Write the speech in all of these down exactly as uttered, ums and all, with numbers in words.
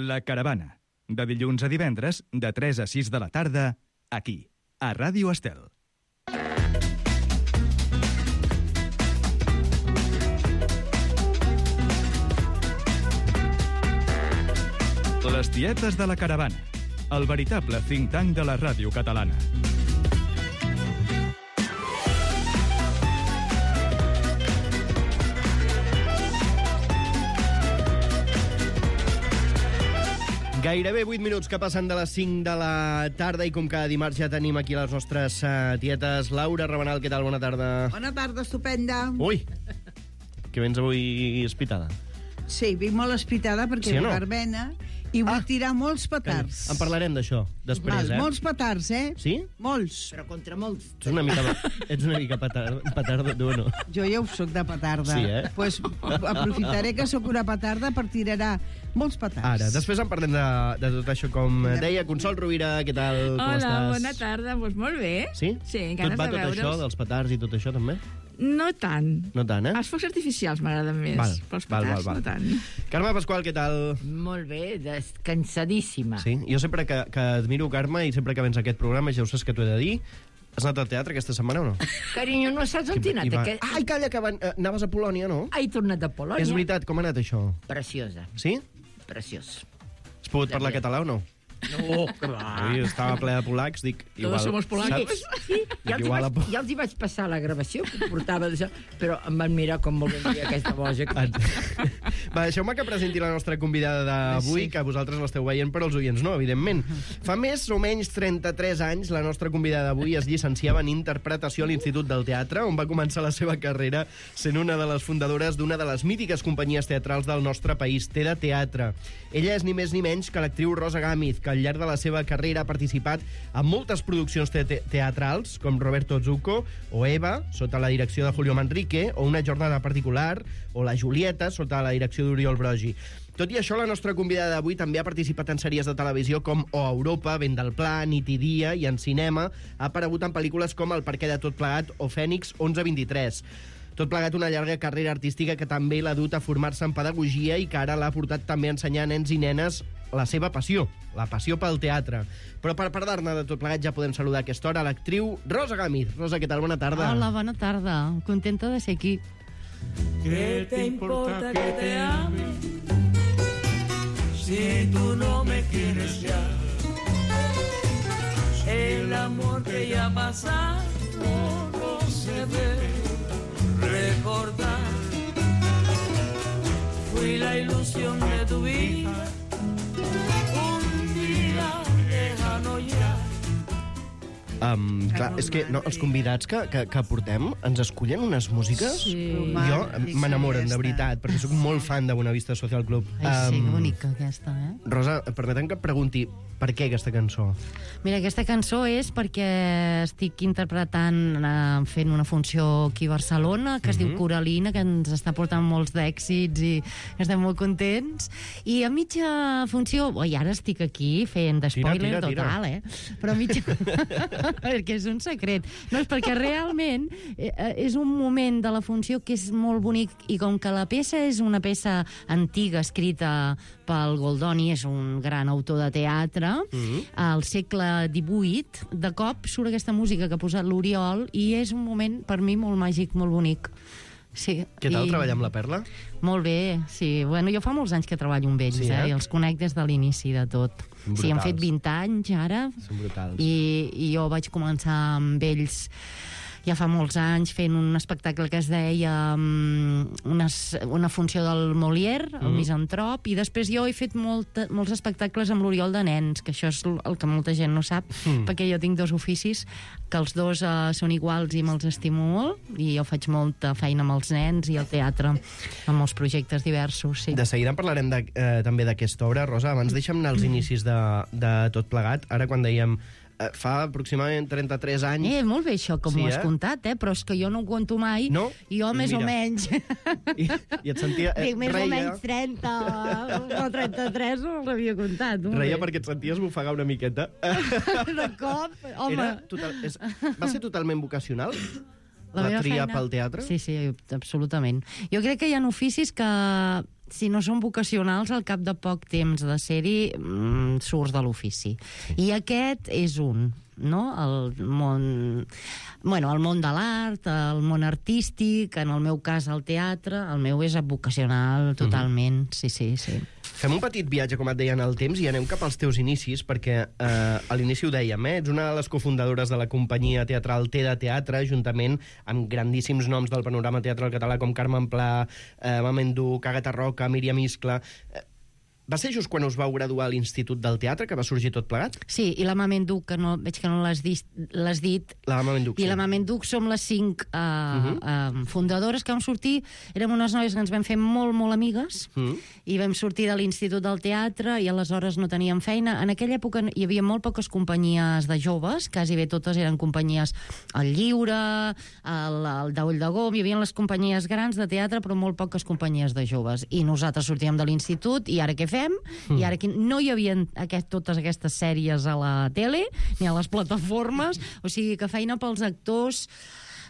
La Caravana, de dilluns a divendres, de tres a sis de la tarda, aquí, a Ràdio Estel. Les tietes de la Caravana, el veritable think tank de la ràdio catalana. Gairebé vuit minuts que passen de les cinc de la tarda i com cada dimarts ja tenim aquí les nostres uh, tietes. Laura Rabanal, què tal? Bona tarda. Bona tarda, estupenda. Ui, que vens avui espitada. Sí, vinc molt espitada perquè Sí o no? ve verbena i vull Ah. tirar molts petards. En parlarem d'això després, Val, eh? molts petards, eh? Sí? Molts. Però contra molts. Ets una mica, ets una mica petard, petarda, tu, no? Jo ja ho soc de petarda. Sí, eh? Pues aprofitaré que sóc una petarda per tirar molts petards. Ara, després en parlem de, de tot això, com deia. Consol Rovira, què tal? Com Hola, estàs? bona tarda. Doncs molt bé. Sí? Sí, Tot ganes va de tot veure'ls. això, dels petards i tot això, també? No tant. No tant, eh? Els focs artificials m'agraden més. Val, Però els val, petards, val, val. no tant. Carme Pasqual, què tal? Molt bé, descansadíssima. Sí, jo sempre que, que admiro Carme i sempre que vens a aquest programa, ja ho saps que t'ho he de dir, has anat al teatre aquesta setmana o no? Carinyo, no saps on t'he anat? I va- Aquest... Ai, calla, que van... eh, anaves a Polònia, no? He tornat de Polònia. És veritat, com ha anat això? Preciosa, Sí? preciós. Has pogut parlar català o no? No, clar. Ui, estava ple de polacs, dic... Igual, somos polacos. saps? Sí, ja els, hi Igual vaig, a- ja els hi vaig passar la gravació que portava d'això, però em van mirar com volien dir aquesta boja. Que... Va, deixeu-me que presenti la nostra convidada d'avui, Sí. que vosaltres l'esteu veient, però els oients no, evidentment. Fa més o menys trenta-tres anys, la nostra convidada d'avui es llicenciava en interpretació a l'Institut del Teatre, on va començar la seva carrera sent una de les fundadores d'una de les mítiques companyies teatrals del nostre país, Teda Teatre. Ella és ni més ni menys que l'actriu Rosa Gámez, que al llarg de la seva carrera ha participat en moltes produccions te te teatrals, com Roberto Zucco o Eva, sota la direcció de Julio Manrique, o Una jornada particular, o La Julieta, sota la direcció d'Oriol Brogi. Tot i això, la nostra convidada d'avui també ha participat en sèries de televisió com O Europa, Vent del Pla, Nit i Dia, i en cinema ha aparegut en pel·lícules com El perquè de tot plegat o Fènix onze vint-i-tres. Tot plegat una llarga carrera artística que també l'ha dut a formar-se en pedagogia i que ara l'ha portat també a ensenyar a nens i nenes la seva passió, la passió pel teatre. Però per parlar-ne de tot plegat ja podem saludar a aquesta hora l'actriu Rosa Gámez. Rosa, què tal? Bona tarda. Hola, bona tarda. Contenta de ser aquí. ¿Qué te importa que te ame si tú no me quieres ya? El amor que ya ha pasado no se debe recordar. Fui la ilusión de tu vida, un día lejano ya. Um, clar, és que no, els convidats que, que, que portem ens escullen unes músiques. Sí. Jo m'enamoren, de Aquesta. veritat, perquè sóc molt fan de Bonavista Social Club. Ai, sí, que Um, bonica aquesta, eh? Rosa, permetem que et pregunti per què aquesta cançó? Mira, aquesta cançó és perquè estic interpretant, eh, fent una funció aquí a Barcelona, que es diu Coralina, que ens està portant molts d'èxits i estem molt contents. I a mitja funció, oi, ara estic aquí fent de Tira, spoiler tira, tira. total, eh? Però a mitja... perquè és un secret. No, és perquè realment eh, és un moment de la funció que és molt bonic i com que la peça és una peça antiga escrita pel Goldoni, és un gran autor de teatre, Mhm. al segle divuit, de cop surt aquesta música que ha posat l'Oriol i és un moment per mi molt màgic, molt bonic. Sí, Què tal i- treballar amb la Perla? Molt bé, sí. Bueno, jo fa molts anys que treballo amb ells, Sí, sí, eh? eh? I els conec des de l'inici de tot. Brutals. Sí, han fet vint anys ara, Són brutals. i, i jo vaig començar amb ells ja fa molts anys fent un espectacle que es deia um, una, una funció del Molière, el Mm. Misantrop, i després jo he fet molt, molts espectacles amb l'Oriol de nens, que això és el que molta gent no sap, Mm. perquè jo tinc dos oficis, que els dos uh, són iguals i me'ls estimo molt, i jo faig molta feina amb els nens i el teatre, amb molts projectes diversos, sí. De seguida en parlarem de, eh, també d'aquesta obra. Rosa, abans deixa'm anar als inicis de, de tot plegat. Ara, quan dèiem eh, fa aproximadament trenta-tres anys... Eh, molt bé això, com Sí, ho has eh? contat, eh? Però és que jo no ho conto mai, No? i jo més Mira. o menys... I, i et sentia... Eh, Dic, més reia, o menys trenta o trenta-tres no l'havia contat. molt reia bé. perquè et senties bofegar una miqueta. De cop, home... Era total, és, va ser totalment vocacional? La, meva tria feina- pel teatre? Sí, sí, absolutament. Jo crec que hi ha oficis que si no són vocacionals, al cap de poc temps de ser-hi mm, surts de l'ofici. I aquest és un, no? El món... Bueno, el món de l'art, el món artístic, en el meu cas el teatre, el meu és vocacional totalment, mm-hmm. sí, sí, sí. Fem un petit viatge, com et deia, en el temps i anem cap als teus inicis, perquè eh, a l'inici ho dèiem, eh? Ets una de les cofundadores de la companyia teatral T de Teatre, juntament amb grandíssims noms del panorama teatral català com Carmen Pla, eh, Mamen Duch, Àgata Roca, Míriam Iscla... Eh, Va ser just quan us vau graduar a l'Institut del Teatre que va sorgir tot plegat? Sí, i la Mamen Duch, que no, veig que no l'has dit, l'has dit. La Mamen Duch, I sí. la Mamen Duch som les cinc uh, uh-huh. uh, fundadores que vam sortir. Érem unes noies que ens vam fer molt, molt amigues uh-huh. i vam sortir de l'Institut del Teatre i aleshores no teníem feina. En aquella època hi havia molt poques companyies de joves, quasi bé totes eren companyies al Lliure, el, el d'Ull de Gom, hi havia les companyies grans de teatre, però molt poques companyies de joves. I nosaltres sortíem de l'Institut i ara què fem? Mm. I ara aquí no hi havia aquest, totes aquestes sèries a la tele ni a les plataformes, o sigui que feina pels actors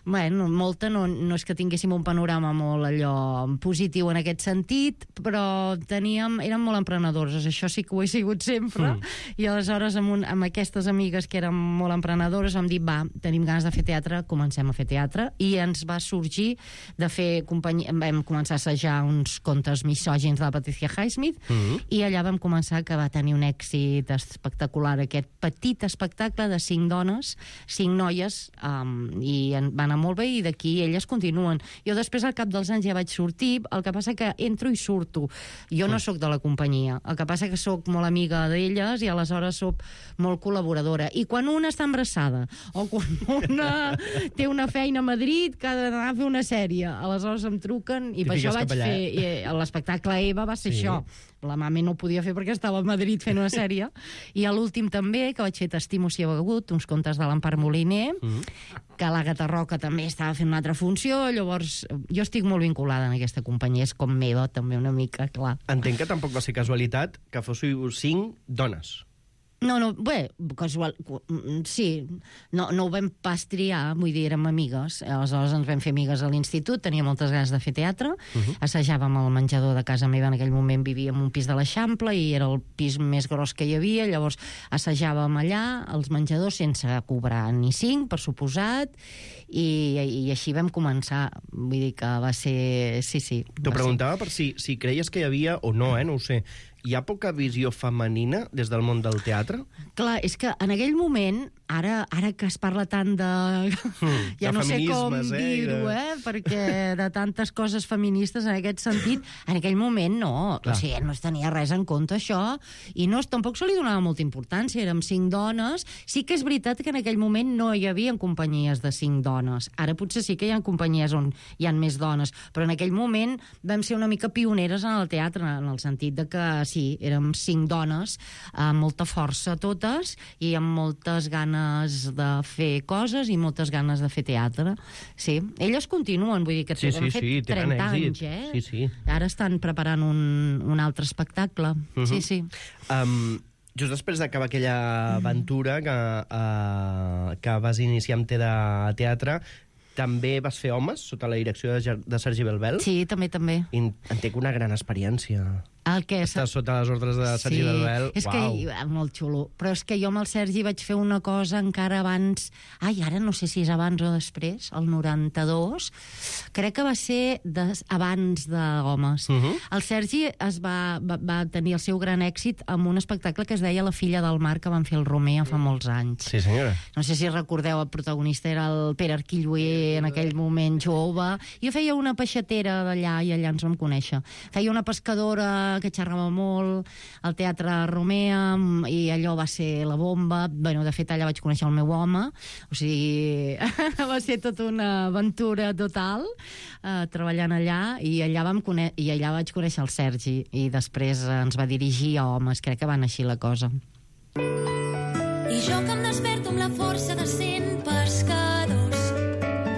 bueno, molta no, no és que tinguéssim un panorama molt allò positiu en aquest sentit, però teníem, érem molt emprenedores, això sí que ho he sigut sempre, mm. i aleshores amb, un, amb aquestes amigues que eren molt emprenedores vam dir, va, tenim ganes de fer teatre, comencem a fer teatre, i ens va sorgir de fer companyia, vam començar a assajar uns contes misògins de la Patricia Highsmith, mm. i allà vam començar que va tenir un èxit espectacular, aquest petit espectacle de cinc dones, cinc noies, um, i en, van anar molt bé i d'aquí elles continuen. Jo després al cap dels anys ja vaig sortir, el que passa que entro i surto. Jo no sóc de la companyia, el que passa que sóc molt amiga d'elles i aleshores sóc molt col·laboradora. I quan una està embarassada o quan una té una feina a Madrid que ha d'anar a fer una sèrie, aleshores em truquen i per això vaig fer... I l'espectacle Eva va ser sí. això. La mama no ho podia fer perquè estava a Madrid fent una sèrie. I a l'últim també, que vaig fer T'estimo si heu hagut, uns contes de l'Empar Moliner, mm. que l'Àgata Roca també estava fent una altra funció, llavors jo estic molt vinculada en aquesta companyia, és com meva també una mica, clar. Entenc que tampoc va ser casualitat que fóssiu cinc dones. No, no, bé, casual, sí, no, no ho vam pas triar, vull dir, érem amigues, aleshores ens vam fer amigues a l'institut, tenia moltes ganes de fer teatre, uh-huh. assajàvem al menjador de casa meva, en aquell moment vivíem en un pis de l'Eixample i era el pis més gros que hi havia, llavors assajàvem allà, als menjadors, sense cobrar ni cinc, per suposat, i, i així vam començar, vull dir que va ser... Sí, sí. T'ho preguntava per si, si creies que hi havia, o no, eh, no ho sé, hi ha poca visió femenina des del món del teatre? Clar, és que en aquell moment, ara, ara que es parla tant de... Mm, ja de no sé com eh, dir-ho, de... eh? Perquè de tantes coses feministes en aquest sentit, en aquell moment no. Clar. O sigui, no es tenia res en compte, això, i no, tampoc se li donava molta importància. Érem cinc dones. Sí que és veritat que en aquell moment no hi havia companyies de cinc dones. Ara potser sí que hi ha companyies on hi ha més dones, però en aquell moment vam ser una mica pioneres en el teatre, en el sentit de que sí, érem cinc dones, amb molta força totes, i amb moltes ganes de fer coses i moltes ganes de fer teatre. Sí, elles continuen, vull dir que sí, han sí, fet sí, trenta anys, eh? Sí, sí. Ara estan preparant un, un altre espectacle. Uh-huh. Sí, sí. Um, just després d'acabar aquella aventura que, uh, que vas iniciar amb T de Teatre, també vas fer Homes, sota la direcció de, de Sergi Belbel? Sí, també, també. I entenc una gran experiència. El que Està sota les ordres de Sergi sí, Belbel. És Uau. que, molt xulo. Però és que jo amb el Sergi vaig fer una cosa encara abans... Ai, ara no sé si és abans o després, el noranta-dos. Crec que va ser des, abans de Homes. Uh -huh. El Sergi es va, va, va tenir el seu gran èxit amb un espectacle que es deia La filla del mar, que van fer el Romea fa molts anys. Sí, senyora. No sé si recordeu, el protagonista era el Pere Arquilloé, en aquell moment jove. Jo feia una peixatera d'allà i allà ens vam conèixer. Feia una pescadora que xerrava molt, al Teatre Romea, i allò va ser la bomba. Bueno, de fet, allà vaig conèixer el meu home, o sigui, va ser tota una aventura total, eh, treballant allà, i allà, vam conè i allà vaig conèixer el Sergi, i després ens va dirigir a Homes, crec que va anar així la cosa. I jo que em desperto amb la força de cent pescadors,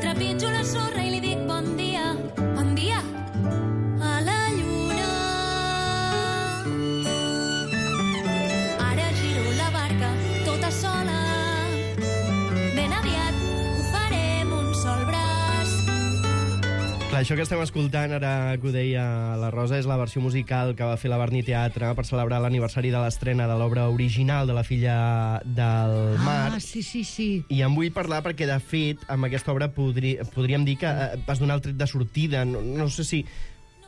trepitjo la sorra i li dic bon dia, bon dia, a la lluna. Ara giro la barca tota sola, ben aviat ho farem un sol braç. Clar, Això que estem escoltant, ara que ho deia la Rosa, és la versió musical que va fer la Barni Teatre per celebrar l'aniversari de l'estrena de l'obra original de La filla del mar. Ah, sí, sí, sí. I en vull parlar perquè, de fet, amb aquesta obra podri, podríem dir que eh, vas donar el tret de sortida. No, no sé si,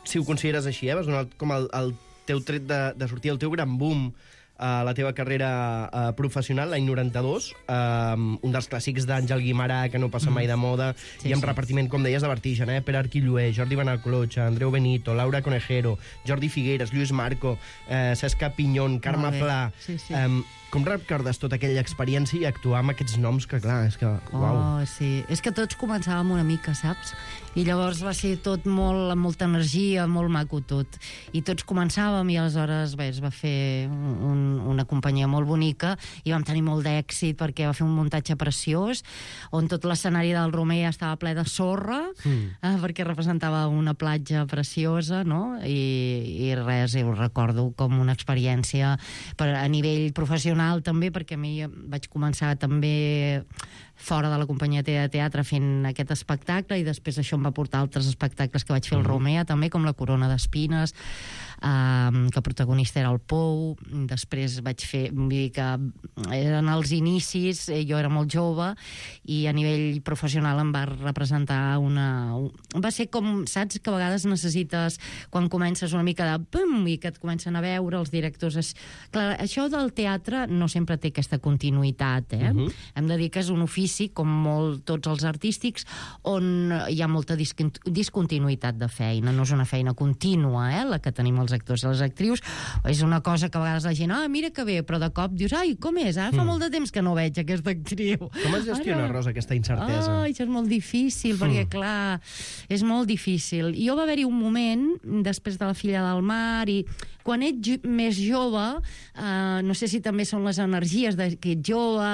si ho consideres així, eh? Vas donar com el, el teu tret de, de sortida, el teu gran boom a la teva carrera uh, professional, l'any noranta-dos, uh, un dels clàssics d'Àngel Guimarà, que no passa mai de moda, sí, i amb sí. repartiment, com deies, de vertigen, eh? Pere Arquilloé, Jordi Benalclotxa, Andreu Benito, Laura Conejero, Jordi Figueres, Lluís Marco, eh, Cesca Pinyón, Carme Pla... Sí, sí. Um, com recordes tota aquella experiència i actuar amb aquests noms que, clar, és que... Uau. Oh, sí. És que tots començàvem una mica, saps? I llavors va ser tot molt, amb molta energia, molt maco tot. I tots començàvem i aleshores bé, es va fer un, una companyia molt bonica i vam tenir molt d'èxit perquè va fer un muntatge preciós on tot l'escenari del Romer estava ple de sorra, mm. eh, perquè representava una platja preciosa, no? I, i res, ho recordo com una experiència per, a nivell professional també, perquè a mi vaig començar també fora de la companyia de teatre fent aquest espectacle i després això em va portar altres espectacles que vaig fer al Romea també, com La corona d'espines, um, que el protagonista era el Pou. Després vaig fer, vull dir que eren els inicis, jo era molt jove i a nivell professional em va representar una... va ser com, saps, que a vegades necessites, quan comences una mica de pum, i que et comencen a veure els directors. És... Clar, això del teatre no sempre té aquesta continuïtat, eh? Uh-huh. Hem de dir que és un ofici, com molt tots els artístics, on hi ha molta discontinuïtat de feina. No és una feina contínua, eh, la que tenim els actors i les actrius. És una cosa que a vegades la gent, ah, mira que bé, però de cop dius, ai, com és? Ara fa mm. molt de temps que no veig aquesta actriu. Com es gestiona, Ara... Rosa, aquesta incertesa? Ah, això és molt difícil, perquè, mm. clar, és molt difícil. Jo va haver-hi un moment, després de La filla del mar, i quan ets més jove, eh, no sé si també són les energies de que ets jove,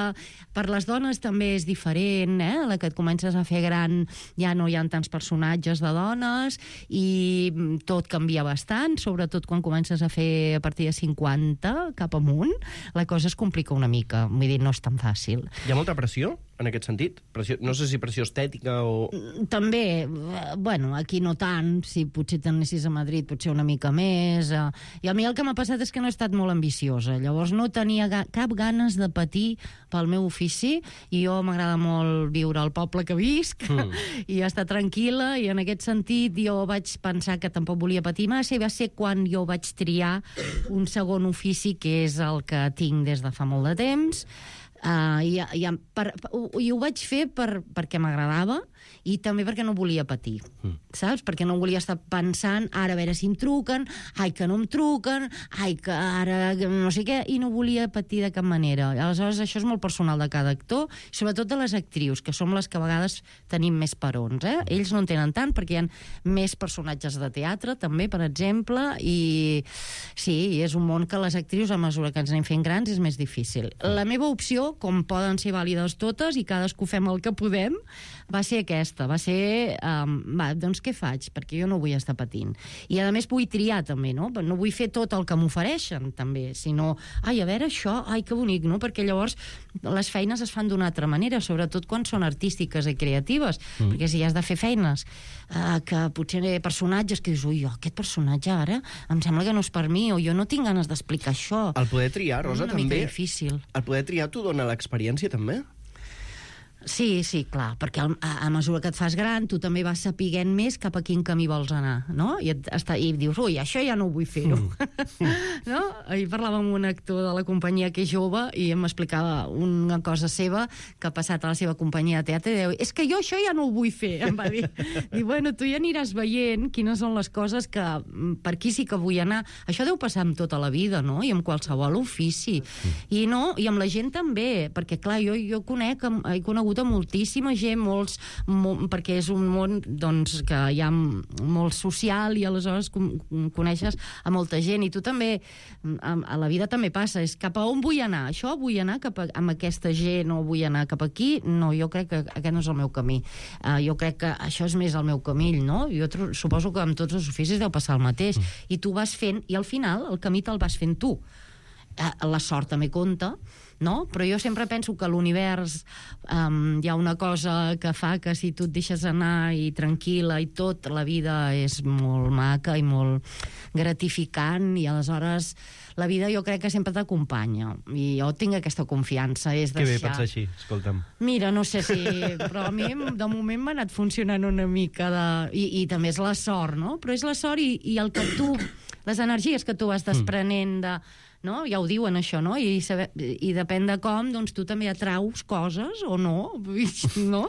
per les dones també és diferent, eh? La que et comences a fer gran ja no hi ha tants personatges de dones i tot canvia bastant, sobretot quan comences a fer a partir de cinquanta cap amunt, la cosa es complica una mica, vull dir, no és tan fàcil. Hi ha molta pressió en aquest sentit? Pressió, no sé si pressió estètica o... També, bueno, aquí no tant, si potser t'anessis a Madrid potser una mica més, eh, i a mi el que m'ha passat és que no he estat molt ambiciosa, llavors no tenia ga cap ganes de patir pel meu ofici, i jo m'agrada molt viure al poble que visc, mm. i estar tranquil·la, i en aquest sentit jo vaig pensar que tampoc volia patir massa, i va ser quan jo vaig triar un segon ofici, que és el que tinc des de fa molt de temps, Uh, i, i, per, i ho vaig fer per, perquè m'agradava i també perquè no volia patir, mm. saps? Perquè no volia estar pensant, ara a veure si em truquen, ai que no em truquen, ai que ara no sé què, i no volia patir de cap manera. Aleshores això és molt personal de cada actor, sobretot de les actrius, que som les que a vegades tenim més perons, eh? Ells no en tenen tant perquè hi ha més personatges de teatre també, per exemple, i sí, és un món que les actrius, a mesura que ens anem fent grans, és més difícil. La meva opció, com poden ser vàlides totes i cadascú fem el que podem, va ser aquesta, va ser um, va, doncs què faig? Perquè jo no vull estar patint. I a més vull triar també, no? No vull fer tot el que m'ofereixen també, sinó, ai, a veure això, ai, que bonic, no? Perquè llavors les feines es fan d'una altra manera, sobretot quan són artístiques i creatives, mm. perquè si has de fer feines uh, que potser personatges que dius, ui, aquest personatge ara em sembla que no és per mi, o jo no tinc ganes d'explicar això. El poder triar, Rosa, una també... mica difícil. El poder triar t'ho dona l'experiència, també? Sí, sí, clar, perquè a, a mesura que et fas gran tu també vas sapiguent més cap a quin camí vols anar, no? I, et, està, i dius, ui, això ja no ho vull fer-ho. Mm. No? Ahir parlàvem amb un actor de la companyia que és jove i em explicava una cosa seva que ha passat a la seva companyia de teatre i diu, és que jo això ja no ho vull fer, em va dir. Diu, bueno, tu ja aniràs veient quines són les coses que per aquí sí que vull anar. Això deu passar amb tota la vida, no? I amb qualsevol ofici. I no, i amb la gent també, perquè clar, jo, jo conec, he conegut a moltíssima gent, molts, molt, perquè és un món doncs, que hi ha molt social i aleshores coneixes a molta gent, i tu també a, a la vida també passa, és cap a on vull anar, això vull anar cap a, amb aquesta gent, o vull anar cap aquí, no, jo crec que aquest no és el meu camí, uh, jo crec que això és més el meu camí, no? Jo suposo que amb tots els oficis deu passar el mateix, mm. i tu vas fent, i al final el camí te'l vas fent tu. La sort també compta, no? Però jo sempre penso que a l'univers um, hi ha una cosa que fa que si tu et deixes anar i tranquil·la i tot, la vida és molt maca i molt gratificant, i aleshores la vida jo crec que sempre t'acompanya, i jo tinc aquesta confiança. És Que bé deixar... pensar així, escolta'm. Mira, no sé si... Però a mi, de moment, m'ha anat funcionant una mica de... I, i també és la sort, no? Però és la sort i, i el que tu... Les energies que tu vas desprenent de... No? Ja ho diuen, això, no? I, saber, i depèn de com, doncs tu també atraus coses o no, no?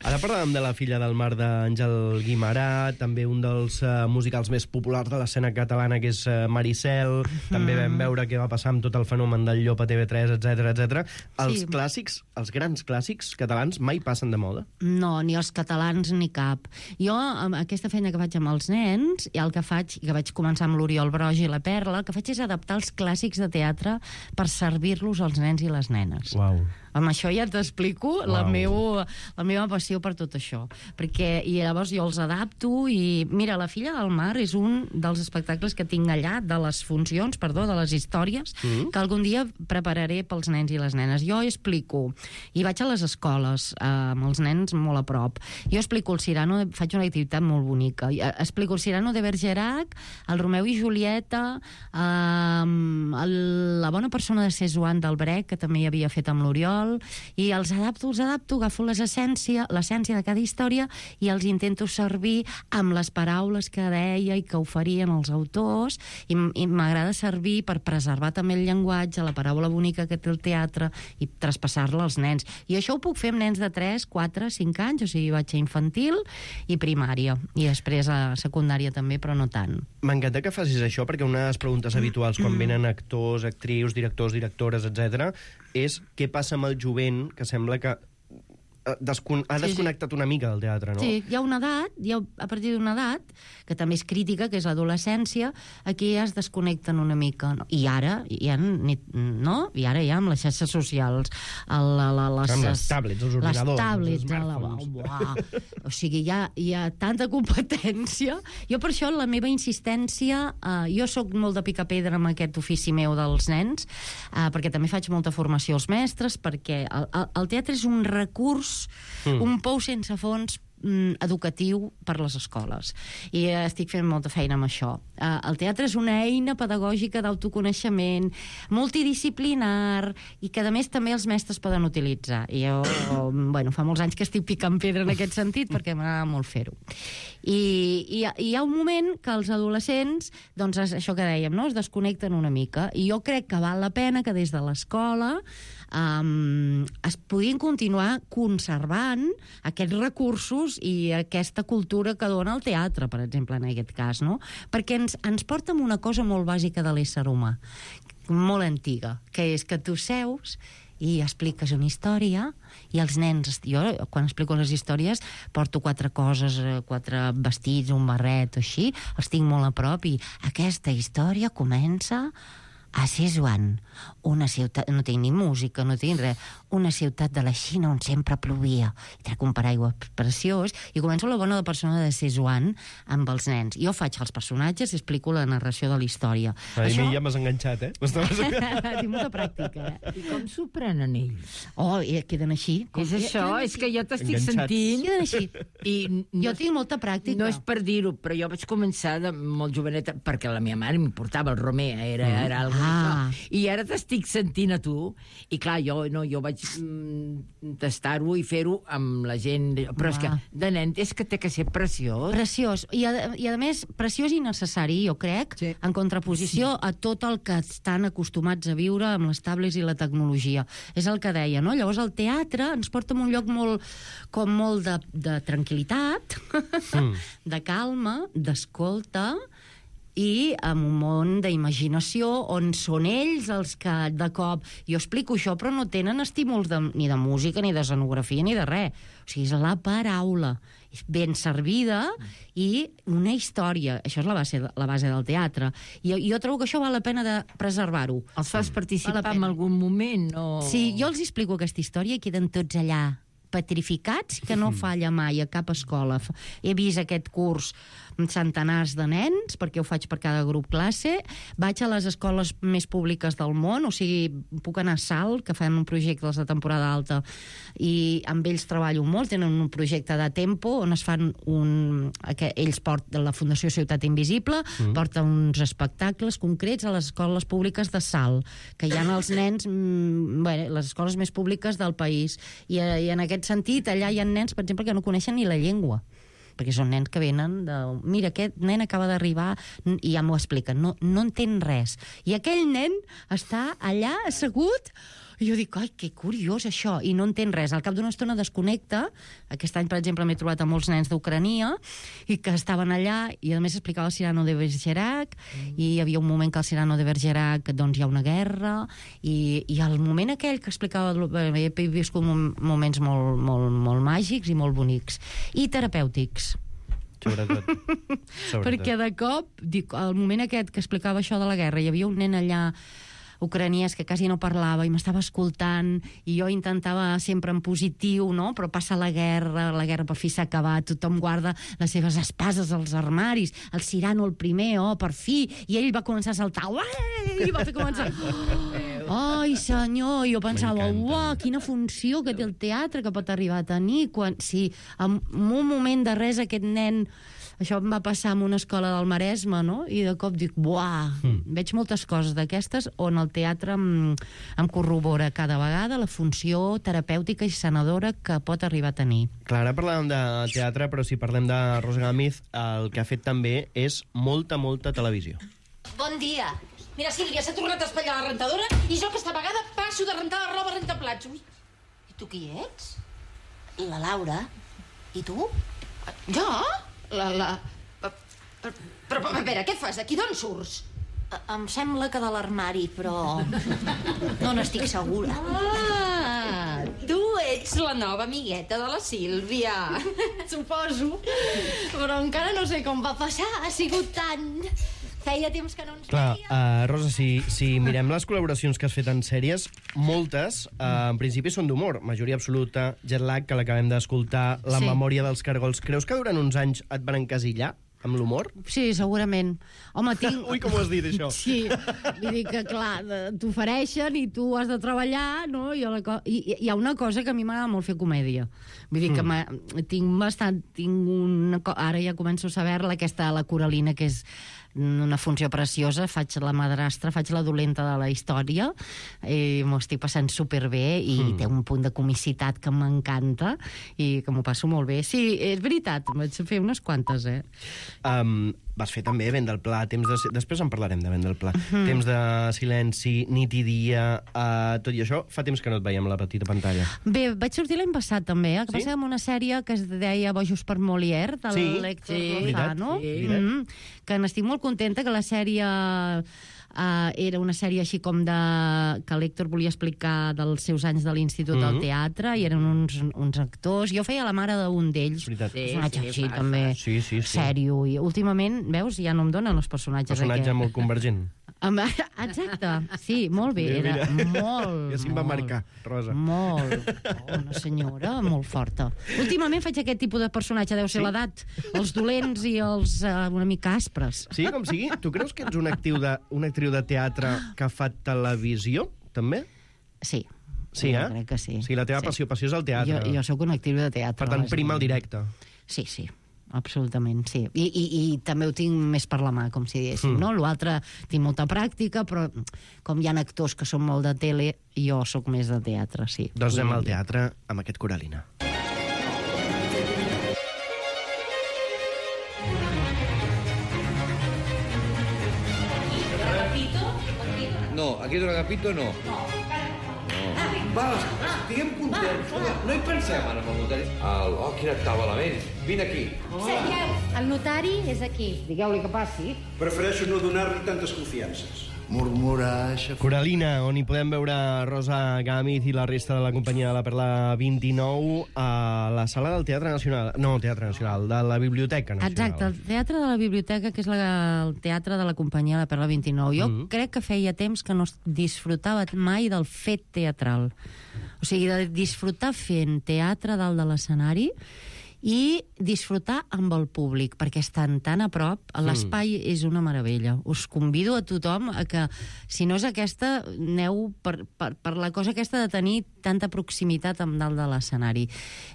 Ara parlàvem de la filla del mar d'Àngel Guimarà, també un dels uh, musicals més populars de l'escena catalana, que és uh, Maricel. Mm. També vam veure què va passar amb tot el fenomen del Llop a T V tres, etcètera, etcètera. Els Sí. clàssics, els grans clàssics catalans mai passen de moda. No, ni els catalans ni cap. Jo, amb aquesta feina que faig amb els nens, i el que faig, que vaig començar amb l'Oriol Broig i la Perla, el que faig és adaptar els clàssics de teatre per servir-los als nens i les nenes. Uau. Amb això ja t'explico la, meu, la meva passió per tot això. Perquè, i llavors jo els adapto i... Mira, La filla del mar és un dels espectacles que tinc allà, de les funcions, perdó, de les històries, mm. que algun dia prepararé pels nens i les nenes. Jo explico, i vaig a les escoles, eh, amb els nens molt a prop. Jo explico el Cyrano, de, faig una activitat molt bonica. Eh, explico el Cyrano de Bergerac, el Romeu i Julieta, eh, el, la bona persona de Cézanne del Brecht, que també hi havia fet amb l'Oriol, i els adapto, els adapto, agafo l'essència l'essència de cada història i els intento servir amb les paraules que deia i que oferien els autors, i, i m'agrada servir per preservar també el llenguatge, la paraula bonica que té el teatre, i traspassar-la als nens. I això ho puc fer amb nens de tres, quatre, cinc anys, o sigui, vaig a infantil i primària, i després a secundària també, però no tant. M'encanta que facis això, perquè una de les preguntes habituals quan venen actors, actrius, directors, directores, etcètera, és què passa amb el jovent, que sembla que Descon ha desconnectat sí, sí. una mica del teatre, no? Sí, hi ha una edat, hi ha, a partir d'una edat, que també és crítica, que és l'adolescència, aquí ja es desconnecten una mica. No? I ara, hi ha, no? I ara ja amb les xarxes socials, el, la, la, les, amb les tablets, els ordinadors, les tablets, els smartphones. La, uah, o sigui, hi ha, hi ha tanta competència. Jo per això la meva insistència, eh, jo sóc molt de picar pedra amb aquest ofici meu dels nens, eh, perquè també faig molta formació als mestres, perquè el, el, el teatre és un recurs, Mm. un pou sense fons mm, educatiu per les escoles, i eh, estic fent molta feina amb això. Eh, el teatre és una eina pedagògica d'autoconeixement multidisciplinar i que a més també els mestres poden utilitzar, i jo bueno, fa molts anys que estic picant pedra en aquest sentit perquè m'agrada molt fer-ho. I, i, i hi ha un moment que els adolescents, doncs això que dèiem, no? Es desconnecten una mica, i jo crec que val la pena que des de l'escola Um, es podien continuar conservant aquests recursos i aquesta cultura que dona el teatre, per exemple, en aquest cas, no? Perquè ens, ens porta amb una cosa molt bàsica de l'ésser humà, molt antiga, que és que tu seus i expliques una història, i els nens, jo quan explico les històries porto quatre coses, quatre vestits, un barret o així, els tinc molt a prop, i aquesta història comença a Cézanne, una ciutat, no tinc ni música, no tinc res, una ciutat de la Xina on sempre plovia, i trec un paraigua preciós, i començo la bona persona de Cézanne amb els nens. Jo faig els personatges i explico la narració de la història. A Això... mi ja m'has enganxat, eh? Tinc molta pràctica, eh? I com s'ho prenen ells? Oh, i queden així. Com... És això, és que jo t'estic Enganxats. sentint... Queden així. I no, Jo tinc molta pràctica. no és per dir-ho, però jo vaig començar de molt joveneta, perquè la meva mare m'importava el Romer, era, era algo Ah. d'això. I ara t'estic sentint a tu, i clar, jo, no, jo vaig mm, tastar-ho i fer-ho amb la gent, però és que Ah. de nen és que té que ser preciós. Preciós. I a, i a més, preciós i necessari, jo crec, Sí. en contraposició a tot el que estan acostumats a viure amb les tablets i la tecnologia. És el que deia, no? Llavors el teatre ens porta a un lloc molt, com molt de, de tranquil·litat, mm. de calma, d'escolta, i amb un món d'imaginació on són ells els que de cop... Jo explico això, però no tenen estímuls de, ni de música, ni d'escenografia, ni de res. O sigui, és la paraula ben servida i una història. Això és la base, la base del teatre. I jo trobo que això val la pena de preservar-ho. Els fas participar Val la en pena. algun moment? O... Sí, jo els explico aquesta història i queden tots allà petrificats que no falla mai a cap escola. He vist aquest curs centenars de nens, perquè ho faig per cada grup classe. Vaig a les escoles més públiques del món, o sigui, puc anar a Salt, que fan un projecte de temporada alta, i amb ells treballo molt. Tenen un projecte de Tempo, on es fan un... Que ells porten, la Fundació Ciutat Invisible, mm. porta uns espectacles concrets a les escoles públiques de Salt, que hi ha els nens, mm, bé, les escoles més públiques del país. I, I en aquest sentit, allà hi ha nens, per exemple, que no coneixen ni la llengua, perquè són nens que venen de... Mira, aquest nen acaba d'arribar i ja m'ho expliquen, no, no entén res. I aquell nen està allà assegut i jo dic, ai, que curiós això, i no entén res. Al cap d'una estona desconnecta. Aquest any, per exemple, m'he trobat amb molts nens d'Ucrania i que estaven allà i a més explicava el Cyrano de Bergerac mm. i hi havia un moment que al Cyrano de Bergerac doncs hi ha una guerra i, i el moment aquell que explicava he viscut moments molt, molt, molt màgics i molt bonics i terapèutics. Sobretot. Sobretot. Perquè de cop, dic, al moment aquest que explicava això de la guerra, hi havia un nen allà ucraniès que quasi no parlava i m'estava escoltant i jo intentava sempre en positiu, no? Però passa la guerra, la guerra per fi s'ha acabat, tothom guarda les seves espases als armaris, el Cyrano el primer, oh, per fi, i ell va començar a saltar, uai, i va fer començar... Ai, senyor, i jo pensava, uau, quina funció que té el teatre que pot arribar a tenir, quan... Sí, en un moment de res aquest nen... Això em va passar en una escola del Maresme, no? I de cop dic, buah, mm. veig moltes coses d'aquestes on el teatre em, em corrobora cada vegada la funció terapèutica i sanadora que pot arribar a tenir. Clar, ara parlàvem de teatre, però si parlem de Rosa Gámez, el que ha fet també és molta, molta televisió. Bon dia. Mira, Sílvia, s'ha tornat a espatllar la rentadora i jo aquesta vegada passo de rentar la roba a rentaplats. Ui. I tu qui ets? La Laura. I tu? Jo? La... la... Però, però, a veure, què fas aquí? D'on surts? Em sembla que de l'armari, però no n'estic segura. Ah, tu ets la nova amigueta de la Sílvia. Suposo. Però encara no sé com va passar. Ha sigut tant... Feia temps que no ens Clar, veia. uh, Rosa, si, si mirem les col·laboracions que has fet en sèries, moltes, uh, en principi, són d'humor. Majoria absoluta, Jet Lag, que l'acabem d'escoltar, La Sí. memòria dels cargols. Creus que durant uns anys et van encasillar amb l'humor? Sí, segurament. Home, tinc... Ui, com ho has dit, això? Sí, vull dir que, clar, t'ofereixen i tu has de treballar, no? I, la co... I hi ha una cosa que a mi m'agrada molt fer comèdia. Vull dir que mm. tinc bastant... Tinc una... Ara ja començo a saber-la, aquesta, la Coralina, que és una funció preciosa, faig la madrastra, faig la dolenta de la història, i m'ho estic passant superbé, i mm. té un punt de comicitat que m'encanta, i que m'ho passo molt bé. Sí, és veritat, vaig fer unes quantes, eh? Um, vas fer també Vent del Pla, temps de... Després en parlarem de Vent del Pla. Mm. Temps de silenci, nit i dia, uh, tot i això, fa temps que no et veiem a la petita pantalla. Bé, vaig sortir l'any passat, també, eh? Que sí? passa amb una sèrie que es deia Bojos per Molière, de sí? l'Héctor sí, Lozano, sí. mm, que n'estic molt contenta, que la sèrie uh, era una sèrie així com de... que l'Héctor volia explicar dels seus anys de l'Institut mm-hmm. del Teatre, i eren uns, uns actors. Jo feia la mare d'un d'ells, sí, personatge sí, així, fa, també, sí, sí, sí. sèrio. I últimament, veus, ja no em donen els personatges. Personatge aquest. molt convergent. Exacte, sí, molt bé, era molt, ja sí em va molt, marcar, Rosa. Molt, oh, una senyora molt forta. Últimament faig aquest tipus de personatge, deu ser sí? l'edat, els dolents i els uh, una mica aspres. Sí, com sigui. Tu creus que ets una, actiu de, una actriu de teatre que fa televisió, també? Sí. Sí, eh? Crec que sí. O sigui, la teva sí. passió, passió és el teatre. Jo, jo sóc una actriu de teatre. Per tant, prima el directe. Sí, sí. Absolutament, sí. I, i, i també ho tinc més per la mà, com si diguéssim, mm. no? L'altre tinc molta pràctica, però com hi ha actors que són molt de tele, jo sóc més de teatre, sí. Doncs anem I... al teatre amb aquest Coralina. No, aquí de l'Agapito no. No. Va, estiguem contents. No hi pensem ara amb el notari. El, oh, quina tabalament. Vine aquí. Seieu, el notari és aquí. Digueu-li que passi. Prefereixo no donar-li tantes confiances. Murmurar... Coralina, on hi podem veure Rosa Gámez i la resta de la companyia de la Perla vint-i-nou a la sala del Teatre Nacional. No, Teatre Nacional, de la Biblioteca Nacional. Exacte, el Teatre de la Biblioteca, que és la, el teatre de la companyia de la Perla vint-i-nou. Jo mm. crec que feia temps que no disfrutava mai del fet teatral. O O sigui, de disfrutar fent teatre dalt de l'escenari i disfrutar amb el públic, perquè estan tan a prop, l'espai mm. és una meravella. Us convido a tothom a que, si no és aquesta, aneu per, per, per la cosa aquesta de tenir tanta proximitat amb dalt de l'escenari.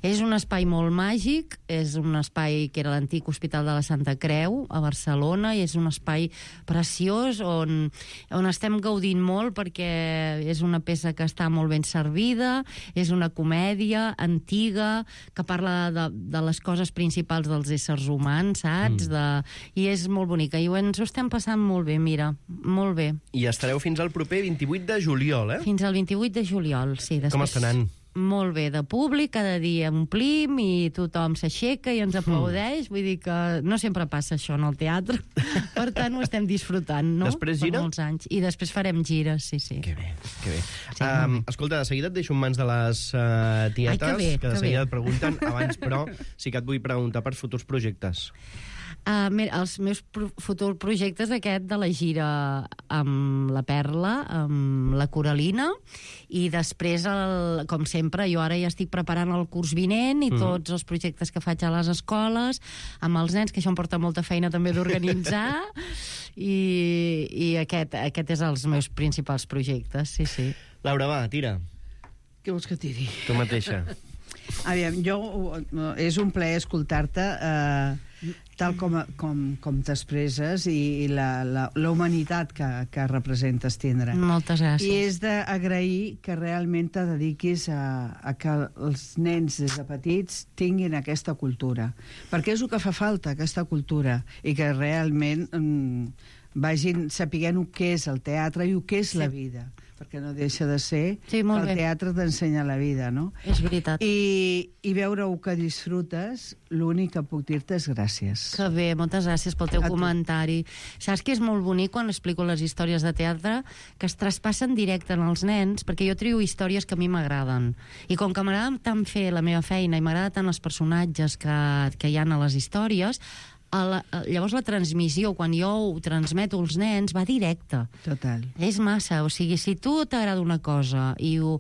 És un espai molt màgic, és un espai que era l'antic Hospital de la Santa Creu, a Barcelona, i és un espai preciós on, on estem gaudint molt perquè és una peça que està molt ben servida, és una comèdia antiga, que parla de, de les coses principals dels éssers humans, saps? Mm. De... I és molt bonica. I ens ho estem passant molt bé, mira, molt bé. I estareu fins al proper vint-i-vuit de juliol, eh? Fins al vint-i-vuit de juliol, sí. Després... Com està anant? Molt bé, de públic, cada dia omplim i tothom s'aixeca i ens aplaudeix, vull dir que no sempre passa això en el teatre, per tant ho estem disfrutant, no? Després gira? Per molts anys. I després farem gires, sí, sí. Que bé, que bé. Sí, um, escolta, de seguida et deixo en mans de les uh, tietes, Ai, que bé, que de que seguida bé. et pregunten, abans però sí que et vull preguntar per futurs projectes. Uh, mira, els meus pro futurs projectes aquest de la gira amb la Perla, amb la Coralina, i després, el, com sempre, jo ara ja estic preparant el curs vinent i mm. tots els projectes que faig a les escoles, amb els nens, que això em porta molta feina també d'organitzar, i, i aquest, aquest és els meus principals projectes, sí, sí. Laura, va, tira. Què vols que tiri? Tu mateixa. Aviam, jo, és un plaer escoltar-te eh, tal com, com, com t'expresses i, i la, la, la humanitat que, que representes tindre. Moltes gràcies. I és d'agrair que realment te dediquis a, a que els nens des de petits tinguin aquesta cultura. Perquè és el que fa falta, aquesta cultura, i que realment mm, vagin sapiguent el que és el teatre i el que és sí. la vida. Perquè no deixa de ser sí, que el bé. teatre t'ensenya la vida, no? És veritat. I, i veure-ho que disfrutes, l'únic que puc dir-te és gràcies. Que bé, moltes gràcies pel teu A tu. comentari. Saps que és molt bonic quan explico les històries de teatre que es traspassen directe en els nens, perquè jo trio històries que a mi m'agraden. I com que m'agrada tant fer la meva feina i m'agrada tant els personatges que, que hi ha a les històries, a la, a, llavors la transmissió, quan jo ho transmeto als nens, va directe. Total. És massa, o sigui, si tu t'agrada una cosa i ho,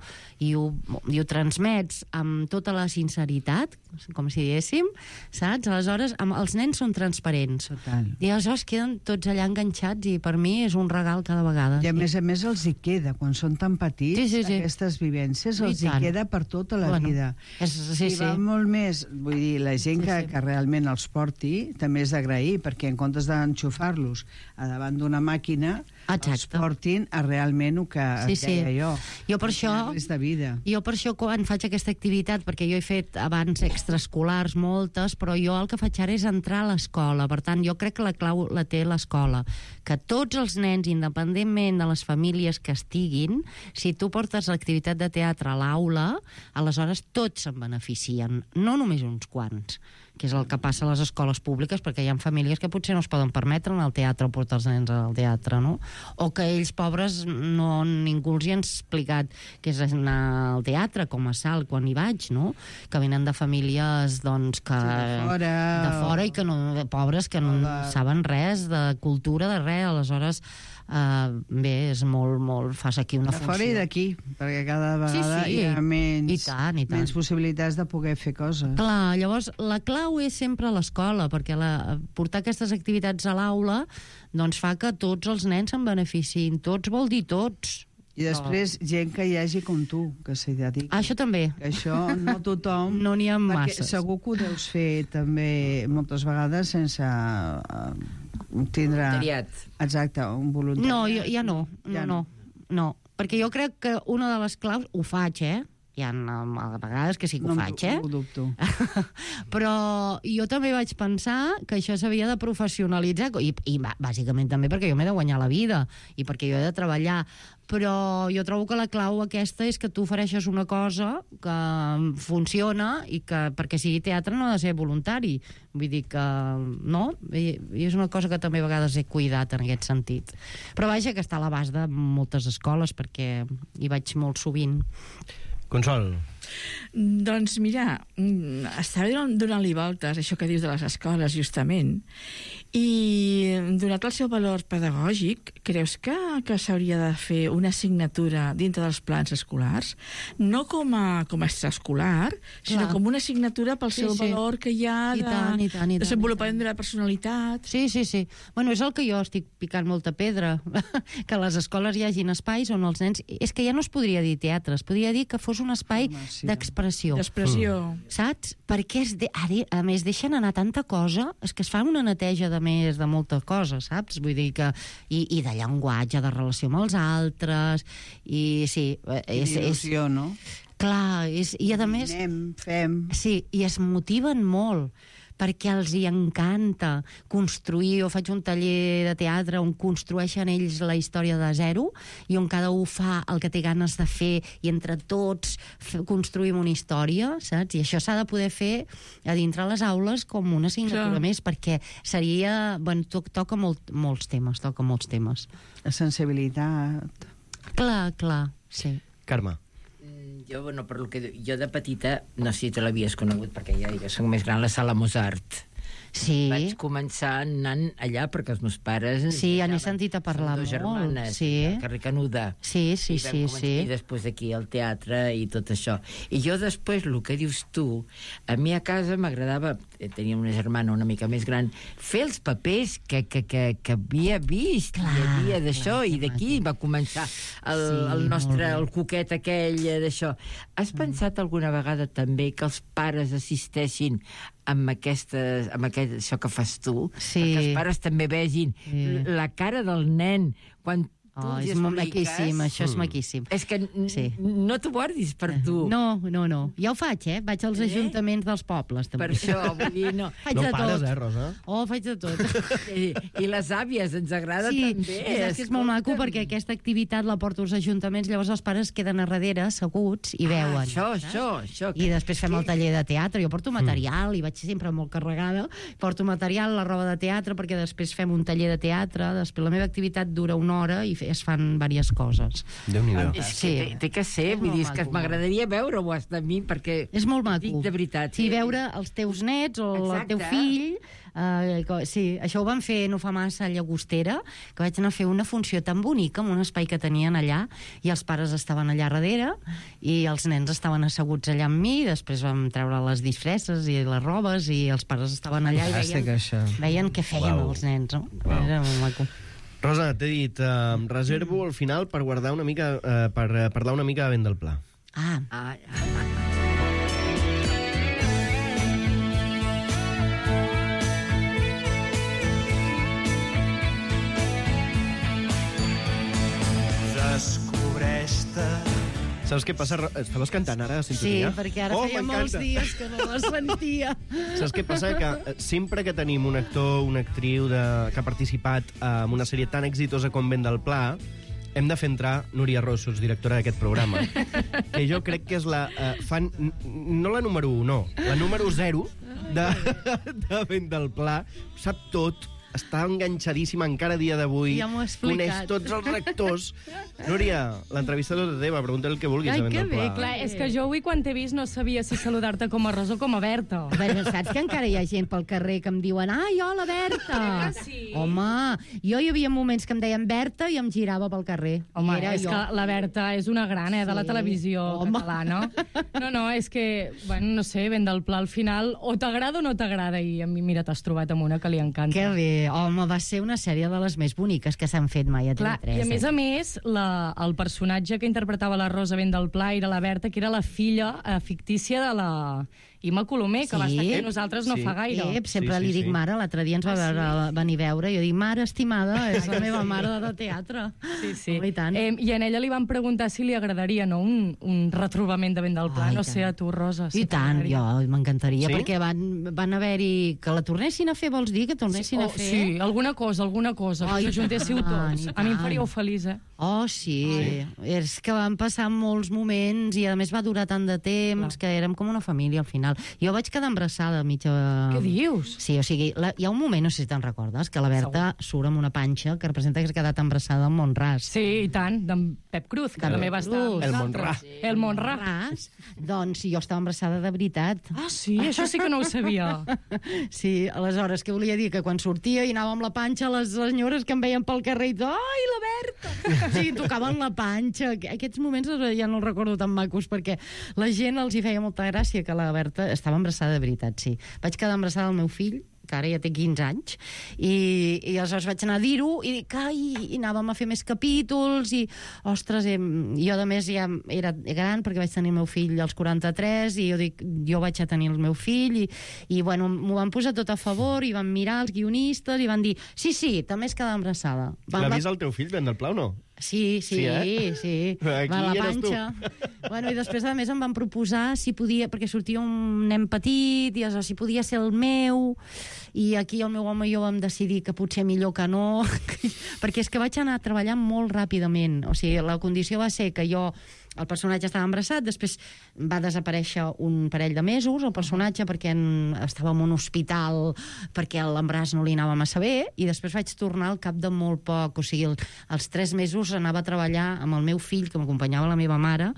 i, ho, i ho transmets amb tota la sinceritat, com si diguéssim, saps? Aleshores, amb, els nens són transparents. Total. I aleshores queden tots allà enganxats i per mi és un regal cada vegada. I a més a més els hi queda, quan són tan petits, sí, sí, sí. aquestes vivències els I hi tant. queda per tota la Bueno, vida. és- sí, I va sí. molt més, vull dir, la gent Sí, que, sí. que realment els porti també és d'agrair, perquè en comptes d'enxufar-los a davant d'una màquina, Exacte. els portin a realment el que Sí, et deia sí. jo. Jo per això... És de vida. Jo per això quan faig aquesta activitat, perquè jo he fet abans extraescolars moltes, però jo el que faig ara és entrar a l'escola. Per tant, jo crec que la clau la té l'escola. Que tots els nens, independentment de les famílies que estiguin, si tu portes l'activitat de teatre a l'aula, aleshores tots se'n beneficien, no només uns quants, que és el que passa a les escoles públiques, perquè hi ha famílies que potser no es poden permetre anar al teatre o portar els nens al teatre, no? O que ells, pobres, no, ningú els hi ha explicat què és anar al teatre, com a salt, quan hi vaig, no? Que venen de famílies, doncs, que... Sí, de fora, de fora i que no, pobres, que no de... saben res de cultura, de res, aleshores... Uh, bé, és molt, molt... Fas aquí una De funció. fora i d'aquí, perquè cada vegada sí, hi ha menys, i tant, i tant. menys possibilitats de poder fer coses. Clar, llavors la clau és sempre a l'escola, perquè la, portar aquestes activitats a l'aula doncs fa que tots els nens se'n beneficin. Tots vol dir tots. I després, gent que hi hagi com tu, que s'hi dediqui. Això també. Que això no tothom... No n'hi ha perquè masses. segur que ho deus fer també moltes vegades sense uh, tindre... Voluntariat. Exacte, un voluntariat. No, jo, ja no. Ja no, no, no. Perquè jo crec que una de les claus... Ho faig, eh? Hi ha a vegades que sí que no, ho faig, eh? No ho dubto. Però jo també vaig pensar que això s'havia de professionalitzar, i, i bàsicament també perquè jo m'he de guanyar la vida i perquè jo he de treballar. Però jo trobo que la clau aquesta és que tu ofereixes una cosa que funciona i que perquè sigui teatre no ha de ser voluntari. Vull dir que no, i, i és una cosa que també a vegades he cuidat en aquest sentit. Però vaja, que està a l'abast de moltes escoles perquè hi vaig molt sovint. Consol. Doncs mira, estava donant- donant-li voltes, això que dius de les escoles, justament, i donat el seu valor pedagògic, creus que, que s'hauria de fer una assignatura dintre dels plans escolars? No com a, com a extraescolar, sinó Clar. com una assignatura pel Sí, seu sí. valor que hi ha I de tant, i tant, i tant, desenvolupament de la personalitat. Sí, sí, sí. Bueno, és el que jo estic picant molta pedra, que a les escoles hi hagin espais on els nens... És que ja no es podria dir teatre, es podria dir que fos un espai d'expressió. D'expressió. Mm. Saps? Perquè, es de... Ara, a més, deixen anar tanta cosa, és que es fa una neteja de més de molta cosa, saps? Vull dir que... I, i de llenguatge, de relació amb els altres, i sí... I d'il·lusió, no? Clar, és, i a més... Anem, fem... Sí, i es motiven molt, perquè els hi encanta construir, o faig un taller de teatre on construeixen ells la història de zero i on cada un fa el que té ganes de fer i entre tots construïm una història, saps? I això s'ha de poder fer a dintre les aules com una assignatura Clar. més, perquè seria... Bueno, to toca molt, molts temes, toca molts temes. La sensibilitat... Clar, clar, sí. Carme. Jo, bueno, per lo que jo de petita, no sé si te l'havies conegut, perquè ja, ja soc més gran, la sala Mozart. Sí. Vaig començar anant allà perquè els meus pares... Sí, ja n'he sentit a parlar Són dues molt. germanes, Sí. al carrer Canuda. Sí, sí, I vam sí, començar, sí. I després aquí al teatre i tot això. I jo després, el que dius tu, a mi a casa m'agradava, tenia una germana una mica més gran, fer els papers que, que, que, que havia vist, clar, hi havia d'això, i d'aquí va començar el, Sí, el nostre, molt bé. el coquet aquell eh, d'això. Has pensat alguna vegada també que els pares assisteixin amb, aquestes, amb aquest, això que fas tu? Sí. Perquè els pares també vegin Sí. la cara del nen quan tu Oh, els és molt expliques. maquíssim, això és maquíssim. És que Sí. no t'ho guardis per tu. No, no, no. Ja ho faig, eh? Vaig als Eh? ajuntaments dels pobles, també. Per això, vull dir, no. Faig No de pares, tot. eh, Rosa? Oh, faig de tot. I, I les àvies, ens agrada Sí, també. és, és que és molt maco escolta'm. perquè aquesta activitat la porto als ajuntaments, llavors els pares queden a darrere, asseguts, i veuen. Ah, això, això, això. I després fem el taller de teatre. Jo porto material i vaig sempre molt carregada. Porto material, la roba de teatre, perquè després fem un taller de teatre. Després la meva activitat dura una hora i es fan diverses coses. Déu-n'hi-do. És que té, té que ser, vull dir, és que m'agradaria veure-ho de mi, perquè... És molt maco. Dic de veritat. Sí, veure els teus nets o Exacte. el teu fill. Eh, co- sí, això ho van fer no fa massa a Llagostera, que vaig anar a fer una funció tan bonica en un espai que tenien allà, i els pares estaven allà darrere i els nens estaven asseguts allà amb mi, i després vam treure les disfresses i les robes i els pares estaven allà i Fantàstic, veien, això. veien què feien Uau. els nens, no? Uau. Era molt maco. Rosa, t'he dit, eh, reservo al final per guardar una mica, eh, per eh, parlar una mica de vent del pla. Ah, Ah, ah, Descobreix-te. Saps què passa? Ro- Estaves cantant ara a sí, sintonia? perquè ara Oh, feia molts m'encanta. dies que no la sentia. Saps què passa? Que eh, sempre que tenim un actor, una actriu de, que ha participat eh, en una sèrie tan exitosa com Vent del Pla, hem de fer entrar Núria Rossos, directora d'aquest programa, que jo crec que és la eh, fan... n- no la número un, no, la número zero de, de Vent del Pla. Sap tot, està enganxadíssima encara a dia d'avui. Ja m'ho ha explicat. Coneix tots els rectors. Núria, l'entrevista tota teva, pregunta el que vulguis Ai, de Vent que del bé, Pla. clar, És que jo avui, quan t'he vist, no sabia si saludar-te com a Rosa o com a Berta. Bueno, saps que encara hi ha gent pel carrer que em diuen ai, hola, Berta! Ah, sí? Home, jo hi havia moments que em deien Berta i em girava pel carrer. Home, I era és jo. que la Berta és una gran, eh, de la Sí. televisió Home. catalana. No, no, és que, bueno, no sé, Vent del Pla al final, o t'agrada o no t'agrada, i a mi, mira, t'has trobat amb una que li encanta. Que bé, home, va ser una sèrie de les més boniques que s'han fet mai a Clar, T V tres. i a més a més, la, el personatge que interpretava la Rosa Vent del Pla era la Berta, que era la filla eh, fictícia de la Imma Colomer, que Sí. va estar aquí amb nosaltres no Sí. fa gaire. Eh, sempre Sí, sí, li dic sí. mare, l'altre dia ens va Ah, sí? veure, venir a veure, i jo dic, mare estimada, és la meva mare de teatre. Sí, sí. Home, i tant. Eh, I a ella li van preguntar si li agradaria, no?, un, un retrobament de Vent del Pla. Ai, no tant. sé, a tu, Rosa. si I tant, t'agradaria. jo m'encantaria, Sí? perquè van, van haver-hi... Que la tornessin a fer, vols dir? Que tornessin Oh, a fer? sí, alguna cosa, alguna cosa. Ai, que s'ajuntéssiu i tant, tots. i A mi em tant. faríeu feliç, eh? Oh, sí. És que van passar molts moments i, a més, va durar tant de temps que érem com una família, al final. fenomenal. Jo vaig quedar embarassada mitja... Què dius? Sí, o sigui, la, hi ha un moment, no sé si te'n recordes, que la Berta surt amb una panxa que representa que s'ha quedat embarassada amb Montràs. Sí, i tant, d'en Pep Cruz, que De també Pep va estar... Cruz. El Montrà. El Montrà. Montràs. Doncs jo estava embarassada de veritat. Ah, sí? Això sí que no ho sabia. Sí, aleshores, què volia dir? Que quan sortia i anava amb la panxa, les senyores que em veien pel carrer i tot, ai, la Berta! O sigui, tocaven la panxa. Aquests moments ja no els recordo tan macos, perquè la gent els hi feia molta gràcia que la Berta estava embarassada de veritat, sí. Vaig quedar embarassada del meu fill, que ara ja té quinze anys, i, i aleshores vaig anar a dir-ho, i dic, ai, i anàvem a fer més capítols, i, ostres, eh, jo a més ja era gran, perquè vaig tenir el meu fill als quaranta-tres, i jo dic, jo vaig a tenir el meu fill, i, i bueno, m'ho van posar tot a favor, i van mirar els guionistes, i van dir, sí, sí, també es quedava embarassada. L'ha vist el teu fill, Ben del Pla, o no? Sí, sí, Sí, eh? sí. Aquí Va a la eres tu. panxa. Bueno, i després, a més, em van proposar si podia, perquè sortia un nen petit, i aleshores, si podia ser el meu, i aquí el meu home i jo vam decidir que potser millor que no, perquè és que vaig anar treballant molt ràpidament. O sigui, la condició va ser que jo el personatge estava embarassat, després va desaparèixer un parell de mesos el personatge perquè en, estava en un hospital perquè l'embaràs no li anava massa bé, i després vaig tornar al cap de molt poc, o sigui, el, els tres mesos anava a treballar amb el meu fill, que m'acompanyava la meva mare,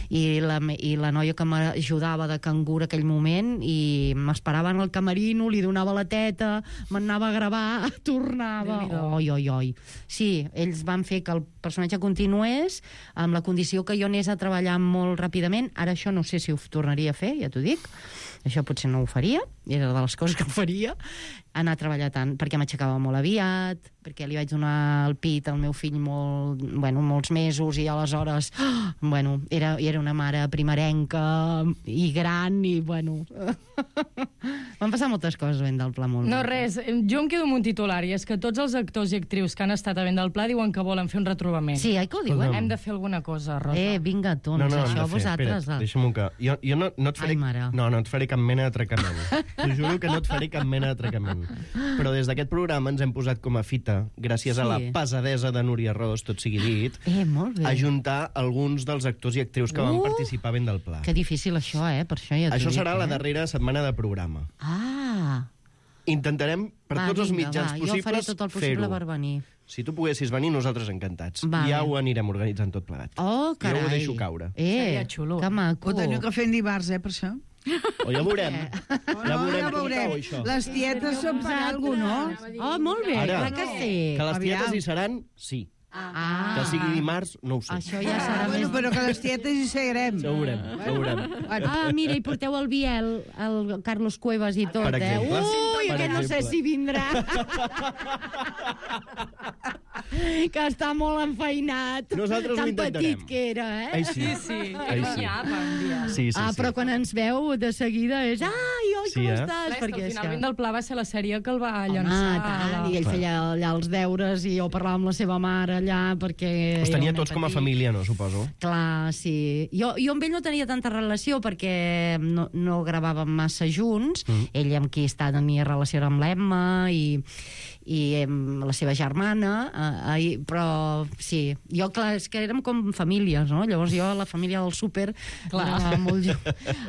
i la, i la noia que m'ajudava de cangur aquell moment, i m'esperava en el camerino, li donava la teta, m'anava a gravar, tornava, oi, oi, oi. Sí, ells van fer que el personatge continués amb la condició que jo anés a treballar molt ràpidament. Ara això no sé si ho tornaria a fer, ja t'ho dic. Això potser no ho faria, era de les coses que faria, anar a treballar tant, perquè m'aixecava molt aviat, perquè li vaig donar el pit al meu fill molt, bueno, molts mesos, i aleshores, oh, bueno, era, era una mare primerenca i gran, i bueno... Van passar moltes coses a Ben del Pla, molt. No, res, jo em quedo amb un titular, i és que tots els actors i actrius que han estat a Ben del Pla diuen que volen fer un retrobament. Sí, oi que ho diuen? Hem de fer alguna cosa, Rosa. Eh, vinga, doncs, no, no, això hem de fer. vosaltres... Espera't, deixa'm-ho que... Jo, jo no, no et faré... Ai, mare. No, no et faré cap mena d'atracament. T'ho juro que no et faré cap mena d'atracament. Però des d'aquest programa ens hem posat com a fita, gràcies Sí. a la pesadesa de Núria Ros, tot sigui dit, Eh, molt bé. ajuntar alguns dels actors i actrius que van Uh! participar a Ben del Pla. Que difícil això, eh? Per això ja t'ho Això dic, serà eh? la darrera setmana de programa. Ah! Intentarem, per Va, tots els vinga, mitjans va, jo faré possibles, tot el possible fer-ho. per venir. Si tu poguessis venir, nosaltres encantats. Vale. Ja ho anirem organitzant tot plegat. Oh, carai. Jo ho deixo caure. Eh, Seria xulo. que maco. Ho teniu que fer en dimarts, eh, per això? O ja veurem. Ja No, veurem ja com veurem. cau, això. Les tietes són per alguna cosa, no? Oh, molt bé, Ara, clar que sí. que les Aviam. tietes hi seran, sí. Ah, Que sigui dimarts, no ho sé. això ja serà Ah, bueno, més... però que les tietes hi seguirem. Ja ho veurem, ja ho veurem. Ah, mira, i porteu el Biel, el Carlos Cuevas i tot, Per exemple. eh? Ui, Per aquest no sé exemple. si vindrà. Que està molt enfeinat. Nosaltres ho Tan intentarem. petit que era, eh? Ai, sí. Sí, Ai, sí. guanyava un dia. Sí, sí, Ah, sí. però quan ens veu de seguida és ai, oi, Sí, com eh? estàs? Clar, és que Perquè al és final que... Ben del Pla va ser la sèrie que el va Home, llançar. tant, la- i ell feia allà els deures i jo parlava amb la seva mare allà perquè... Us era tenia un tots nen com a petit. família, no, suposo? Clar, sí. Jo, jo amb ell no tenia tanta relació perquè no, no gravàvem massa junts. Mm. Ell amb qui està tenia relació era amb l'Emma i, i amb la seva germana, eh, eh, però sí, jo, clar, és que érem com famílies, no? Llavors jo, la família del súper, Clar. anava molt jo,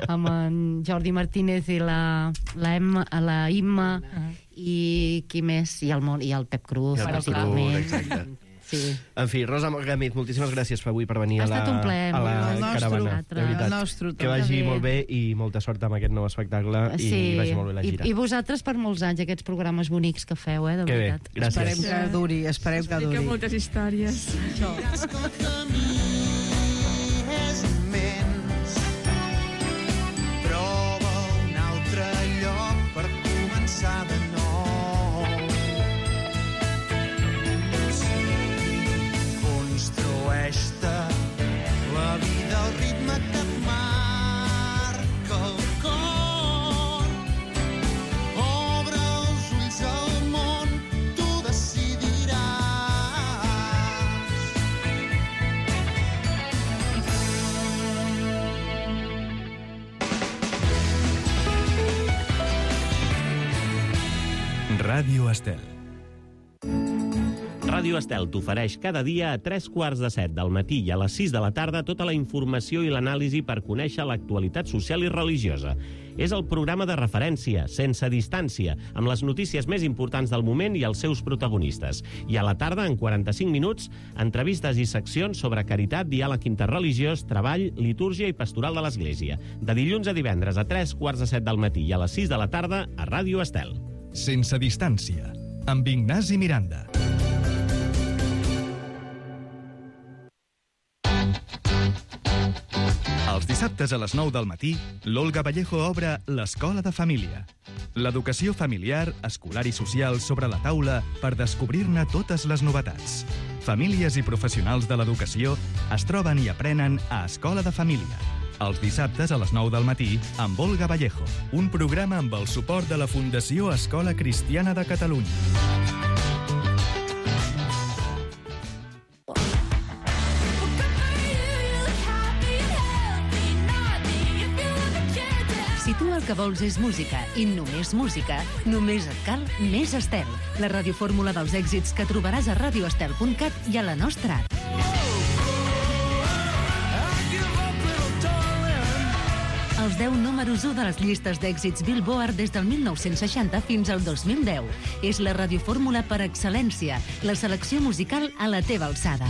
amb en Jordi Martínez i la, la, Emma, la Imma, i qui més? I el, Mon- i el Pep Cruz, I el Pep principalment. Cruz, exacte. Sí. En fi, Rosa Gàmez, moltíssimes gràcies per avui per venir Ha a la, estat un plaer, a la el nostre, caravana. De veritat. el nostre, que vagi també. molt bé i molta sort amb aquest nou espectacle i vagi molt bé la I, gira. i vosaltres per molts anys, aquests programes bonics que feu, eh, de Que bé, veritat. gràcies. Esperem que duri, esperem que Explica duri. moltes històries. És immens. Troba un altre lloc per començar de nou. Construeix-te la vida al ritme que et marca el cor. Obre els ulls al món, tu decidiràs. Ràdio Estel. Ràdio Ràdio Estel t'ofereix cada dia a tres quarts de set del matí i a les sis de la tarda tota la informació i l'anàlisi per conèixer l'actualitat social i religiosa. És el programa de referència, sense distància, amb les notícies més importants del moment i els seus protagonistes. I a la tarda, en quaranta-cinc minuts, entrevistes i seccions sobre caritat, diàleg interreligiós, treball, litúrgia i pastoral de l'Església. De dilluns a divendres a tres quarts de set del matí i a les sis de la tarda a Ràdio Estel. Sense distància, amb Ignasi Miranda. Els dissabtes a les nou del matí, l'Olga Vallejo obre l'Escola de Família. L'educació familiar, escolar i social sobre la taula per descobrir-ne totes les novetats. Famílies i professionals de l'educació es troben i aprenen a Escola de Família. Els dissabtes a les nou del matí amb Olga Vallejo. Un programa amb el suport de la Fundació Escola Cristiana de Catalunya. Si tu el que vols és música i només música, només et cal Més Estel, la radiofórmula dels èxits que trobaràs a radio estel punt cat i a la nostra app. Els deu números u de les llistes d'èxits Billboard des del mil nou-cents seixanta fins al dos mil deu. És la radiofórmula per excel·lència, la selecció musical a la teva alçada.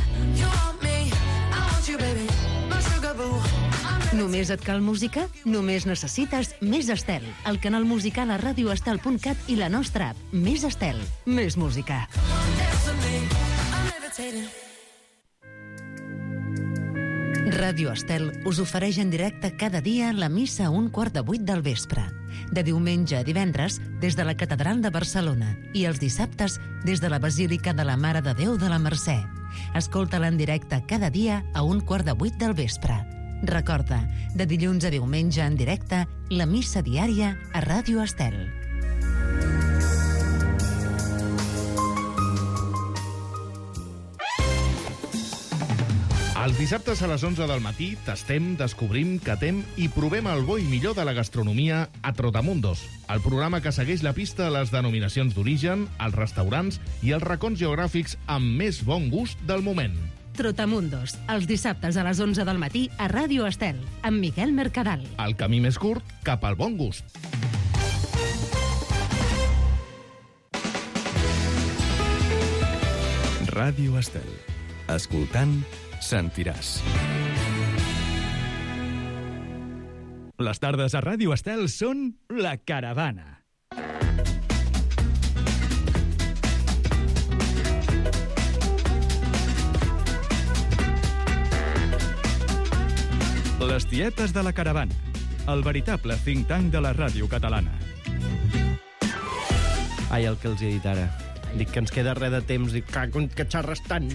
Només et cal música? Només necessites Més Estel, el canal musical a radio estel punt cat i la nostra app. Més Estel, més música. Ràdio Estel us ofereix en directe cada dia la missa a un quart de vuit del vespre. De diumenge a divendres, des de la Catedral de Barcelona, i els dissabtes, des de la Basílica de la Mare de Déu de la Mercè. Escolta-la en directe cada dia a un quart de vuit del vespre. Recorda, de dilluns a diumenge en directe, la missa diària a Ràdio Estel. Els dissabtes a les onze del matí tastem, descobrim, catem i provem el bo i millor de la gastronomia a Trotamundos, el programa que segueix la pista a les denominacions d'origen, els restaurants i els racons geogràfics amb més bon gust del moment. Trotamundos, els dissabtes a les onze del matí a Ràdio Estel, amb Miquel Mercadal. El camí més curt cap al bon gust. Ràdio Estel. Escoltant, sentiràs. Les tardes a Ràdio Estel són La Caravana. Les tietes de la Caravana, el veritable think tank de la ràdio catalana. Ai, el que els he dit ara. Dic que ens queda res de temps, dic que, que xerres tant.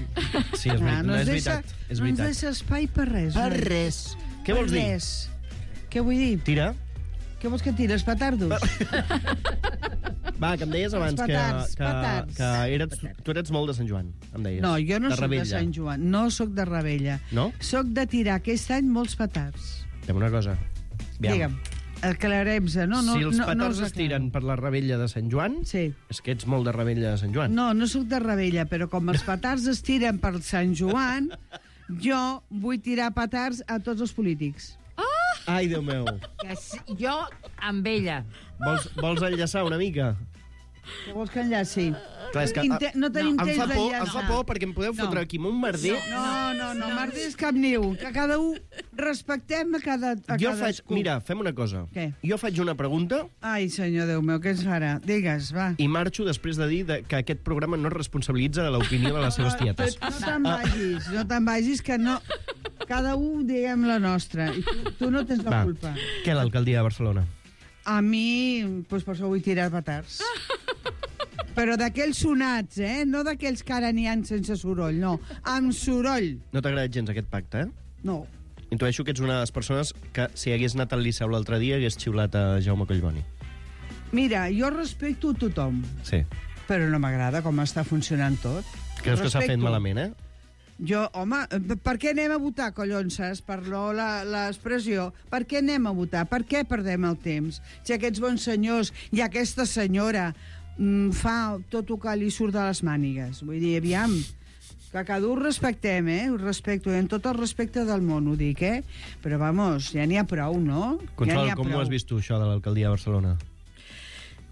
Sí, és, Ah, no, no és ens veritat. deixa- És No ens veritat. deixa espai per res. Per noi. res. Què Per vols dir? res. Què vull dir? Tira. Què vols que tires, petardos? Va, que em deies abans Els que, petards, que, petards. que eres, tu eres molt de Sant Joan, em deies. No, jo no de sóc de Rebella. Sant Joan, no sóc de Rebella. No? Sóc de tirar aquest any molts petards. Fem una cosa. Aviam. Digue'm, aclarem-se. No, no, si els no, no petards els es tiren per la Rebella de Sant Joan, sí. és que ets molt de Rebella de Sant Joan. No, no sóc de Rebella, però com els petards es tiren per Sant Joan, jo vull tirar petards a tots els polítics. Ai, Déu meu. Que si, jo amb ella. Vols, vols enllaçar una mica? Què vols que enllaci? Clar, és que, Inte no tenim em temps fa por, d'enllaçar. em fa por perquè em podeu No. fotre aquí amb un merder. No, no, no, merders cap niu. Que cada un respectem a cada a Jo faig, cadascú. mira, fem una cosa. Què? Jo faig una pregunta Ai, senyor Déu meu, què ens farà? Digues, va. i marxo després de dir de, que aquest programa no es responsabilitza de l'opinió de les seves tietes. No te'n vagis, no te'n vagis, que no... Cada un diguem la nostra. I tu, tu no tens la Va. culpa. Què, l'alcaldia de Barcelona? A mi, doncs per això vull tirar petards. Però d'aquells sonats, eh? No d'aquells que ara n'hi ha sense soroll, no. Amb soroll. No t'ha agradat gens aquest pacte, eh? No. Intueixo que ets una de les persones que, si hagués anat al Liceu l'altre dia, hagués xiulat a Jaume Collboni. Mira, jo respecto tothom, Sí. però no m'agrada com està funcionant tot. Creus que s'ha fet Respecto. malament, eh? Jo, home, per què anem a votar, collons, saps? Perdó la- l'expressió. Per què anem a votar? Per què perdem el temps? Si aquests bons senyors i aquesta senyora mm, fa tot el que li surt de les mànigues. Vull dir, aviam, que cada un respectem, eh? Ho respecto, en tot el respecte del món, ho dic, eh? Però, vamos, ja n'hi ha prou, no? Consol, ja com prou. ho has vist tu, això de l'alcaldia de Barcelona?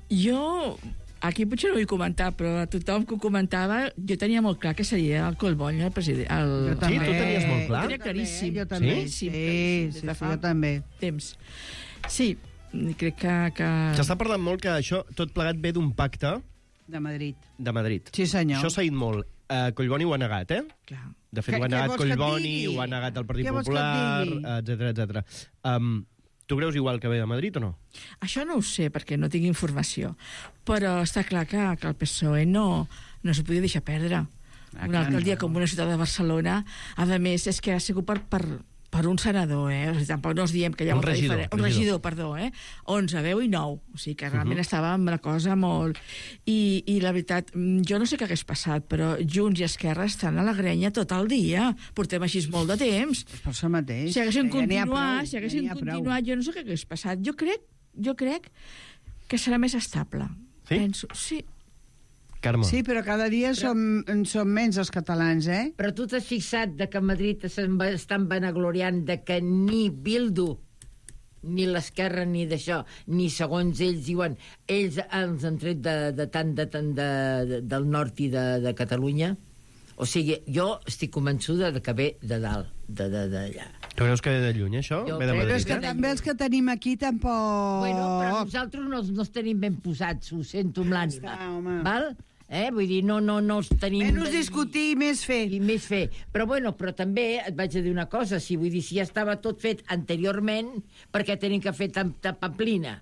Jo, aquí potser no vull comentar, però a tothom que ho comentava, jo tenia molt clar que seria el Collboni, el president. El... Jo també. Sí, tu tenies molt clar? Ho tenia claríssim. Jo també, Sí, sí, claríssim, sí, des de sí, fa jo també. Temps. Sí, crec que... que... S'està parlant molt que això, tot plegat ve d'un pacte De Madrid. de Madrid. Sí, senyor. Això s'ha dit molt. Uh, Collboni ho ha negat, eh? Clar. De fet, Què- ho ha què negat vols que et Collboni, digui? ho ha negat el Partit Què vols que et Popular, digui? etcètera, etcètera. Um, tu creus igual que ve de Madrid o no? Això no ho sé, perquè no tinc informació. Però està clar que, que el P S O E no, no s'ho podia deixar perdre. Ah, Una clar, alcaldia no. com una ciutat de Barcelona, a més, és que ha sigut per, per, per un senador, eh? O sigui, tampoc no us diem que hi ha Un molta regidor, diferència. Un regidor. regidor, perdó, eh? onze, veu i nou. O sigui que realment Mhm. estava amb la cosa molt... I, I la veritat, mm, jo no sé què hagués passat, però Junts i Esquerra estan a la grenya tot el dia. Portem així molt de temps. Per això mateix. Si haguessin Ja n'hi ha continuat, prou, si haguessin ja n'hi ha prou. continuat, jo no sé què hagués passat. Jo crec, jo crec que serà més estable. Sí? Penso, sí. Carme. Sí, però cada dia som, en som menys els catalans, eh? Però tu t'has fixat de que a Madrid se'n va- estan vanagloriant de que ni Bildu, ni l'esquerra, ni d'això, ni segons ells diuen, ells ens han tret de, de tant de, tant de, de, del nord i de, de Catalunya? O sigui, jo estic convençuda de que ve de dalt, de, de, d'allà. Tu creus que ve de lluny, això? Jo Ve de crec Però Madrid, és que eh? també els que tenim aquí tampoc... Bueno, però nosaltres no, no els tenim ben posats, ho sento amb l'ànima. Està, home. Val? Eh? Vull dir, no, no, no els tenim... Menys discutir i més fer. I més fer. Però, bueno, però també et vaig a dir una cosa, si vull dir, si ja estava tot fet anteriorment, per què tenim que fer tanta pamplina?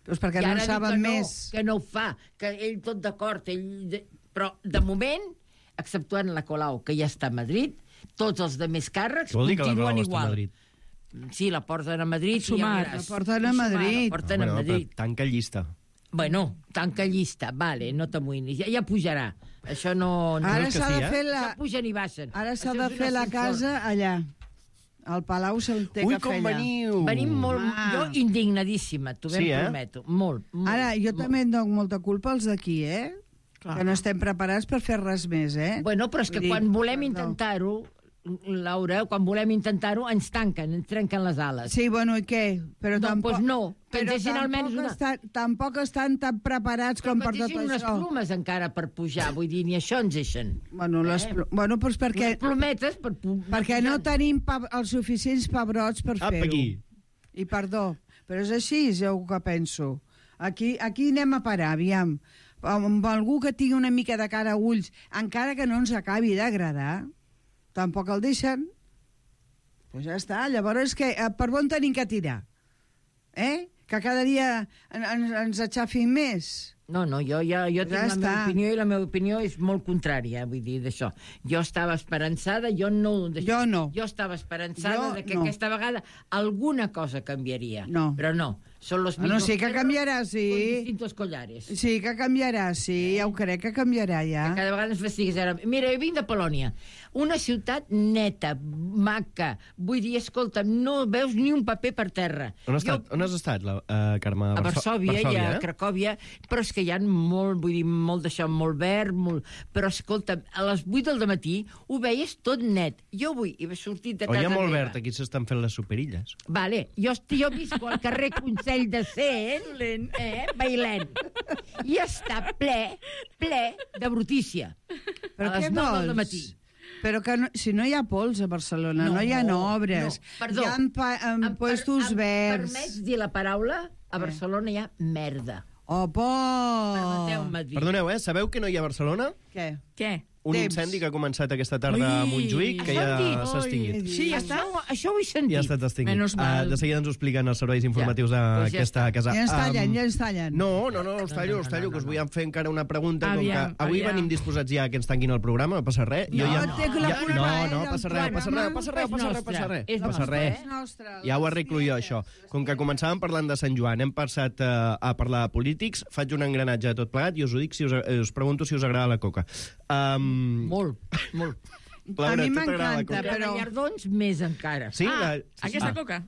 Doncs perquè I no ara en dic saben que no, més. que no ho fa, que ell tot d'acord, ell... de- Però, de moment, exceptuant la Colau, que ja està a Madrid, tots els de més càrrecs Què vol dir que la continuen Colau està a igual. Madrid? Sí, la porten a Madrid. Sumar, i ja veuràs. la porten a Sumar, Madrid. La porten Bueno, a Madrid. però tanca llista. Bueno, tanca llista, vale, no t'amoïnis, ja, ja pujarà. Això no... no Ara que s'ha sí, de eh? fer la... Ja pugen i baixen. Ara s'ha Això de és un fer la ascensor. casa allà. Al Palau se'l té Ui, que com fer allà. veniu! Venim molt... Ah. Jo indignadíssima, t'ho ben Sí, eh? prometo. Molt, molt. Ara, jo molt. també en dono molta culpa als d'aquí, eh? Clar. Que no estem preparats per fer res més, eh? Bueno, però és que Vull dir, quan volem perdó. intentar-ho, Laura, quan volem intentar-ho, ens tanquen, ens trenquen les ales. Sí, bueno, i què? Però No, tampoc... doncs no, que ens però deixin almenys tampoc una- estan, tampoc estan tan preparats Però com que per ens tot deixin unes això. plomes encara per pujar, vull dir, ni això ens deixen. Bueno, les, Eh? pl- bueno, doncs perquè, Unes plometes per... pu- perquè no tenim pa, els suficients pebrots per Apa, fer-ho. aquí. I perdó, però és així, és el que penso. Aquí, aquí anem a parar, aviam. Amb algú que tingui una mica de cara a ulls, encara que no ens acabi d'agradar, tampoc el deixen. Doncs pues ja està. Llavors, que, eh, per on tenim que tirar? Eh? Que cada dia en, en, ens aixafin més? No, no, jo, jo, jo tinc Ja la meva està. opinió i la meva opinió és molt contrària, vull dir, d'això. Jo estava esperançada, jo no... d'això. Jo no. Jo estava esperançada Jo de que no. aquesta vegada alguna cosa canviaria. No. Però no, són los Ah, no, mismos sí que perros canviarà, con sí. distintos collares. Sí, que canviarà, sí, ja ho crec que canviarà, ja. Cada vegada ens fastigues ara. Mira, jo vinc de Polònia, una ciutat neta, maca, vull dir, escolta, no veus ni un paper per terra. On has estat, on has estat la, uh, Carme? A Varsòvia, i a eh? Cracòvia, però és que hi ha molt, vull dir, molt d'això, molt verd, molt... però escolta, a les vuit del matí ho veies tot net. Jo avui he sortit de O casa hi ha molt meva. verd, aquí s'estan fent les superilles. Vale, jo, esti- jo visco al carrer Consell de Cent, eh, Bailent, i està ple, ple de brutícia. Però a les què nou vols? del matí. Però que no, si no hi ha pols a Barcelona, no, No, no hi ha obres, no, perdó. hi ha pa, en Em per- puestos em verds. permets dir la paraula? A Eh. Barcelona hi ha merda. Oh, por! Permeteu-me dir. Perdoneu, eh? Sabeu que no hi ha a Barcelona? Què? Què? Un Temps. incendi que ha començat aquesta tarda a Ui, Montjuïc, que això ja han dit. s'ha extingit. Ui. Sí, ja està? Això, això ho he sentit. Ja ha estat extingit. Menys mal. Uh, de seguida ens ho expliquen els serveis informatius Ja, doncs ja d'aquesta està. casa. Ja ens tallen, Um, ja ens tallen. No, no, no, us tallo, No, no, us tallo, no, que us no, vull fer encara una pregunta. Aviam, com que avui aviam. venim disposats ja que ens tanquin el programa, no passa res. No, ja, té la ja, culpa, no, eh, no, del passa res, passa res, programa. passa res, És passa res, nostre, passa res. és Passa nostre, res. És nostre. Ja ho arreglo jo, això. Com que començàvem parlant de Sant Joan, hem passat uh, a parlar de polítics, faig un engranatge de tot plegat i us ho dic, si us, eh, us pregunto si us agrada la coca. Um, Molt, molt. Laura, a mi tu t'agrada la m'encanta, coca? Però... però... Gallardons, més encara. Sí? Ah, la... aquesta ah. coca.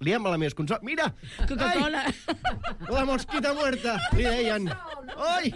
Liem-la més consol. Mira! Coca-Cola. Ai, la mosquita muerta, li deien. Oi!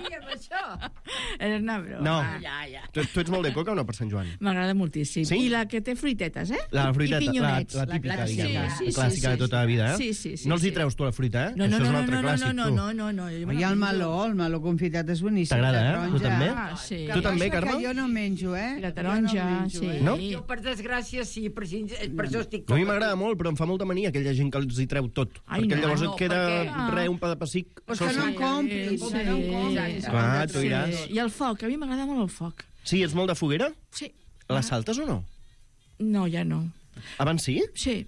Era una broma. No. Ja, ja. Tu, tu ets molt de coca o no, per Sant Joan? M'agrada moltíssim. Sí? I la que té fruitetes, eh? La fruiteta, I la, pinyonets. la típica, La diguem, clàssica. la Sí, sí, clàssica sí, de tota la vida, eh? Sí, sí, sí. No els hi sí. treus tu la fruita, eh? No, Això no, és un no, altre no, clàssic, no, tu. no, no, no. Jo me I la el menjo. meló, el meló confitat és boníssim. T'agrada, la eh? taronja. Tu també? Ah, sí. Tu també, cosa Carme? que jo no menjo, eh? La taronja, Jo no menjo, sí. eh? No? Jo, per desgràcia, sí, per, si, per això estic... A mi m'agrada molt, però em fa molta mania aquella gent que els hi treu tot. Ai, perquè no, llavors no, et queda perquè- re, un pa de pessic. Pues que no en compris, Sí, que no en compris. Clar, tu diràs. Sí. I el foc, a mi m'agrada molt el foc. Sí, ets molt de foguera? Sí. La saltes o no? No, ja no. Abans sí? Sí.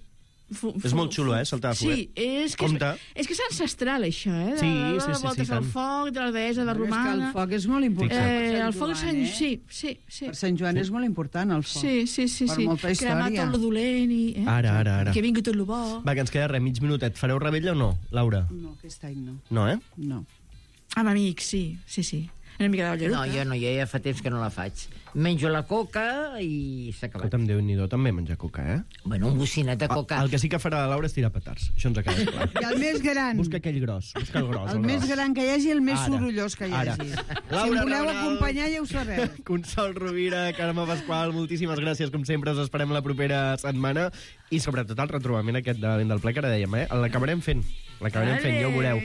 Fu, És molt xulo, eh, saltar de foguera. Sí, és que, Compte. és, és que és ancestral, això, eh? De, Sí, de, sí, de sí, voltes sí, al tant. foc, de la deessa, de Però és que romana... el foc és molt important. Eh, per Sant el foc és Joan, sant... eh? Sí, sí, sí. Per Sant Joan és molt important, el foc. Sí, sí, sí. Per sí. molta Cremar història. tot lo dolent i... Eh? Ara, ara, ara. Que vingui tot lo bo. Va, que ens queda res, mig minutet. Fareu rebella o no, Laura? No, aquest any no. No, eh? No. Amb amics, sí, sí, sí. Una mica de balleruca. No, jo no, jo ja fa temps que no la faig. Menjo la coca i s'ha acabat. Escolta'm, Déu-n'hi-do, també menjar coca, eh? Bueno, un bocinet de coca. El que sí que farà la Laura és tirar petards. Això ens ha quedat clar. I el més gran. Busca aquell gros, busca el gros. El el més gros. gran que hi hagi, el més Ara, sorollós que hi ara. hagi. Si Laura em voleu Rabanal. acompanyar, ja ho sabeu. Consol Rovira, Carme Pasqual, moltíssimes gràcies, com sempre, us esperem la propera setmana i sobretot el retrobament aquest de la Vent del Ple, que ara dèiem, eh? L'acabarem fent, l'acabarem fent, ja ho veureu.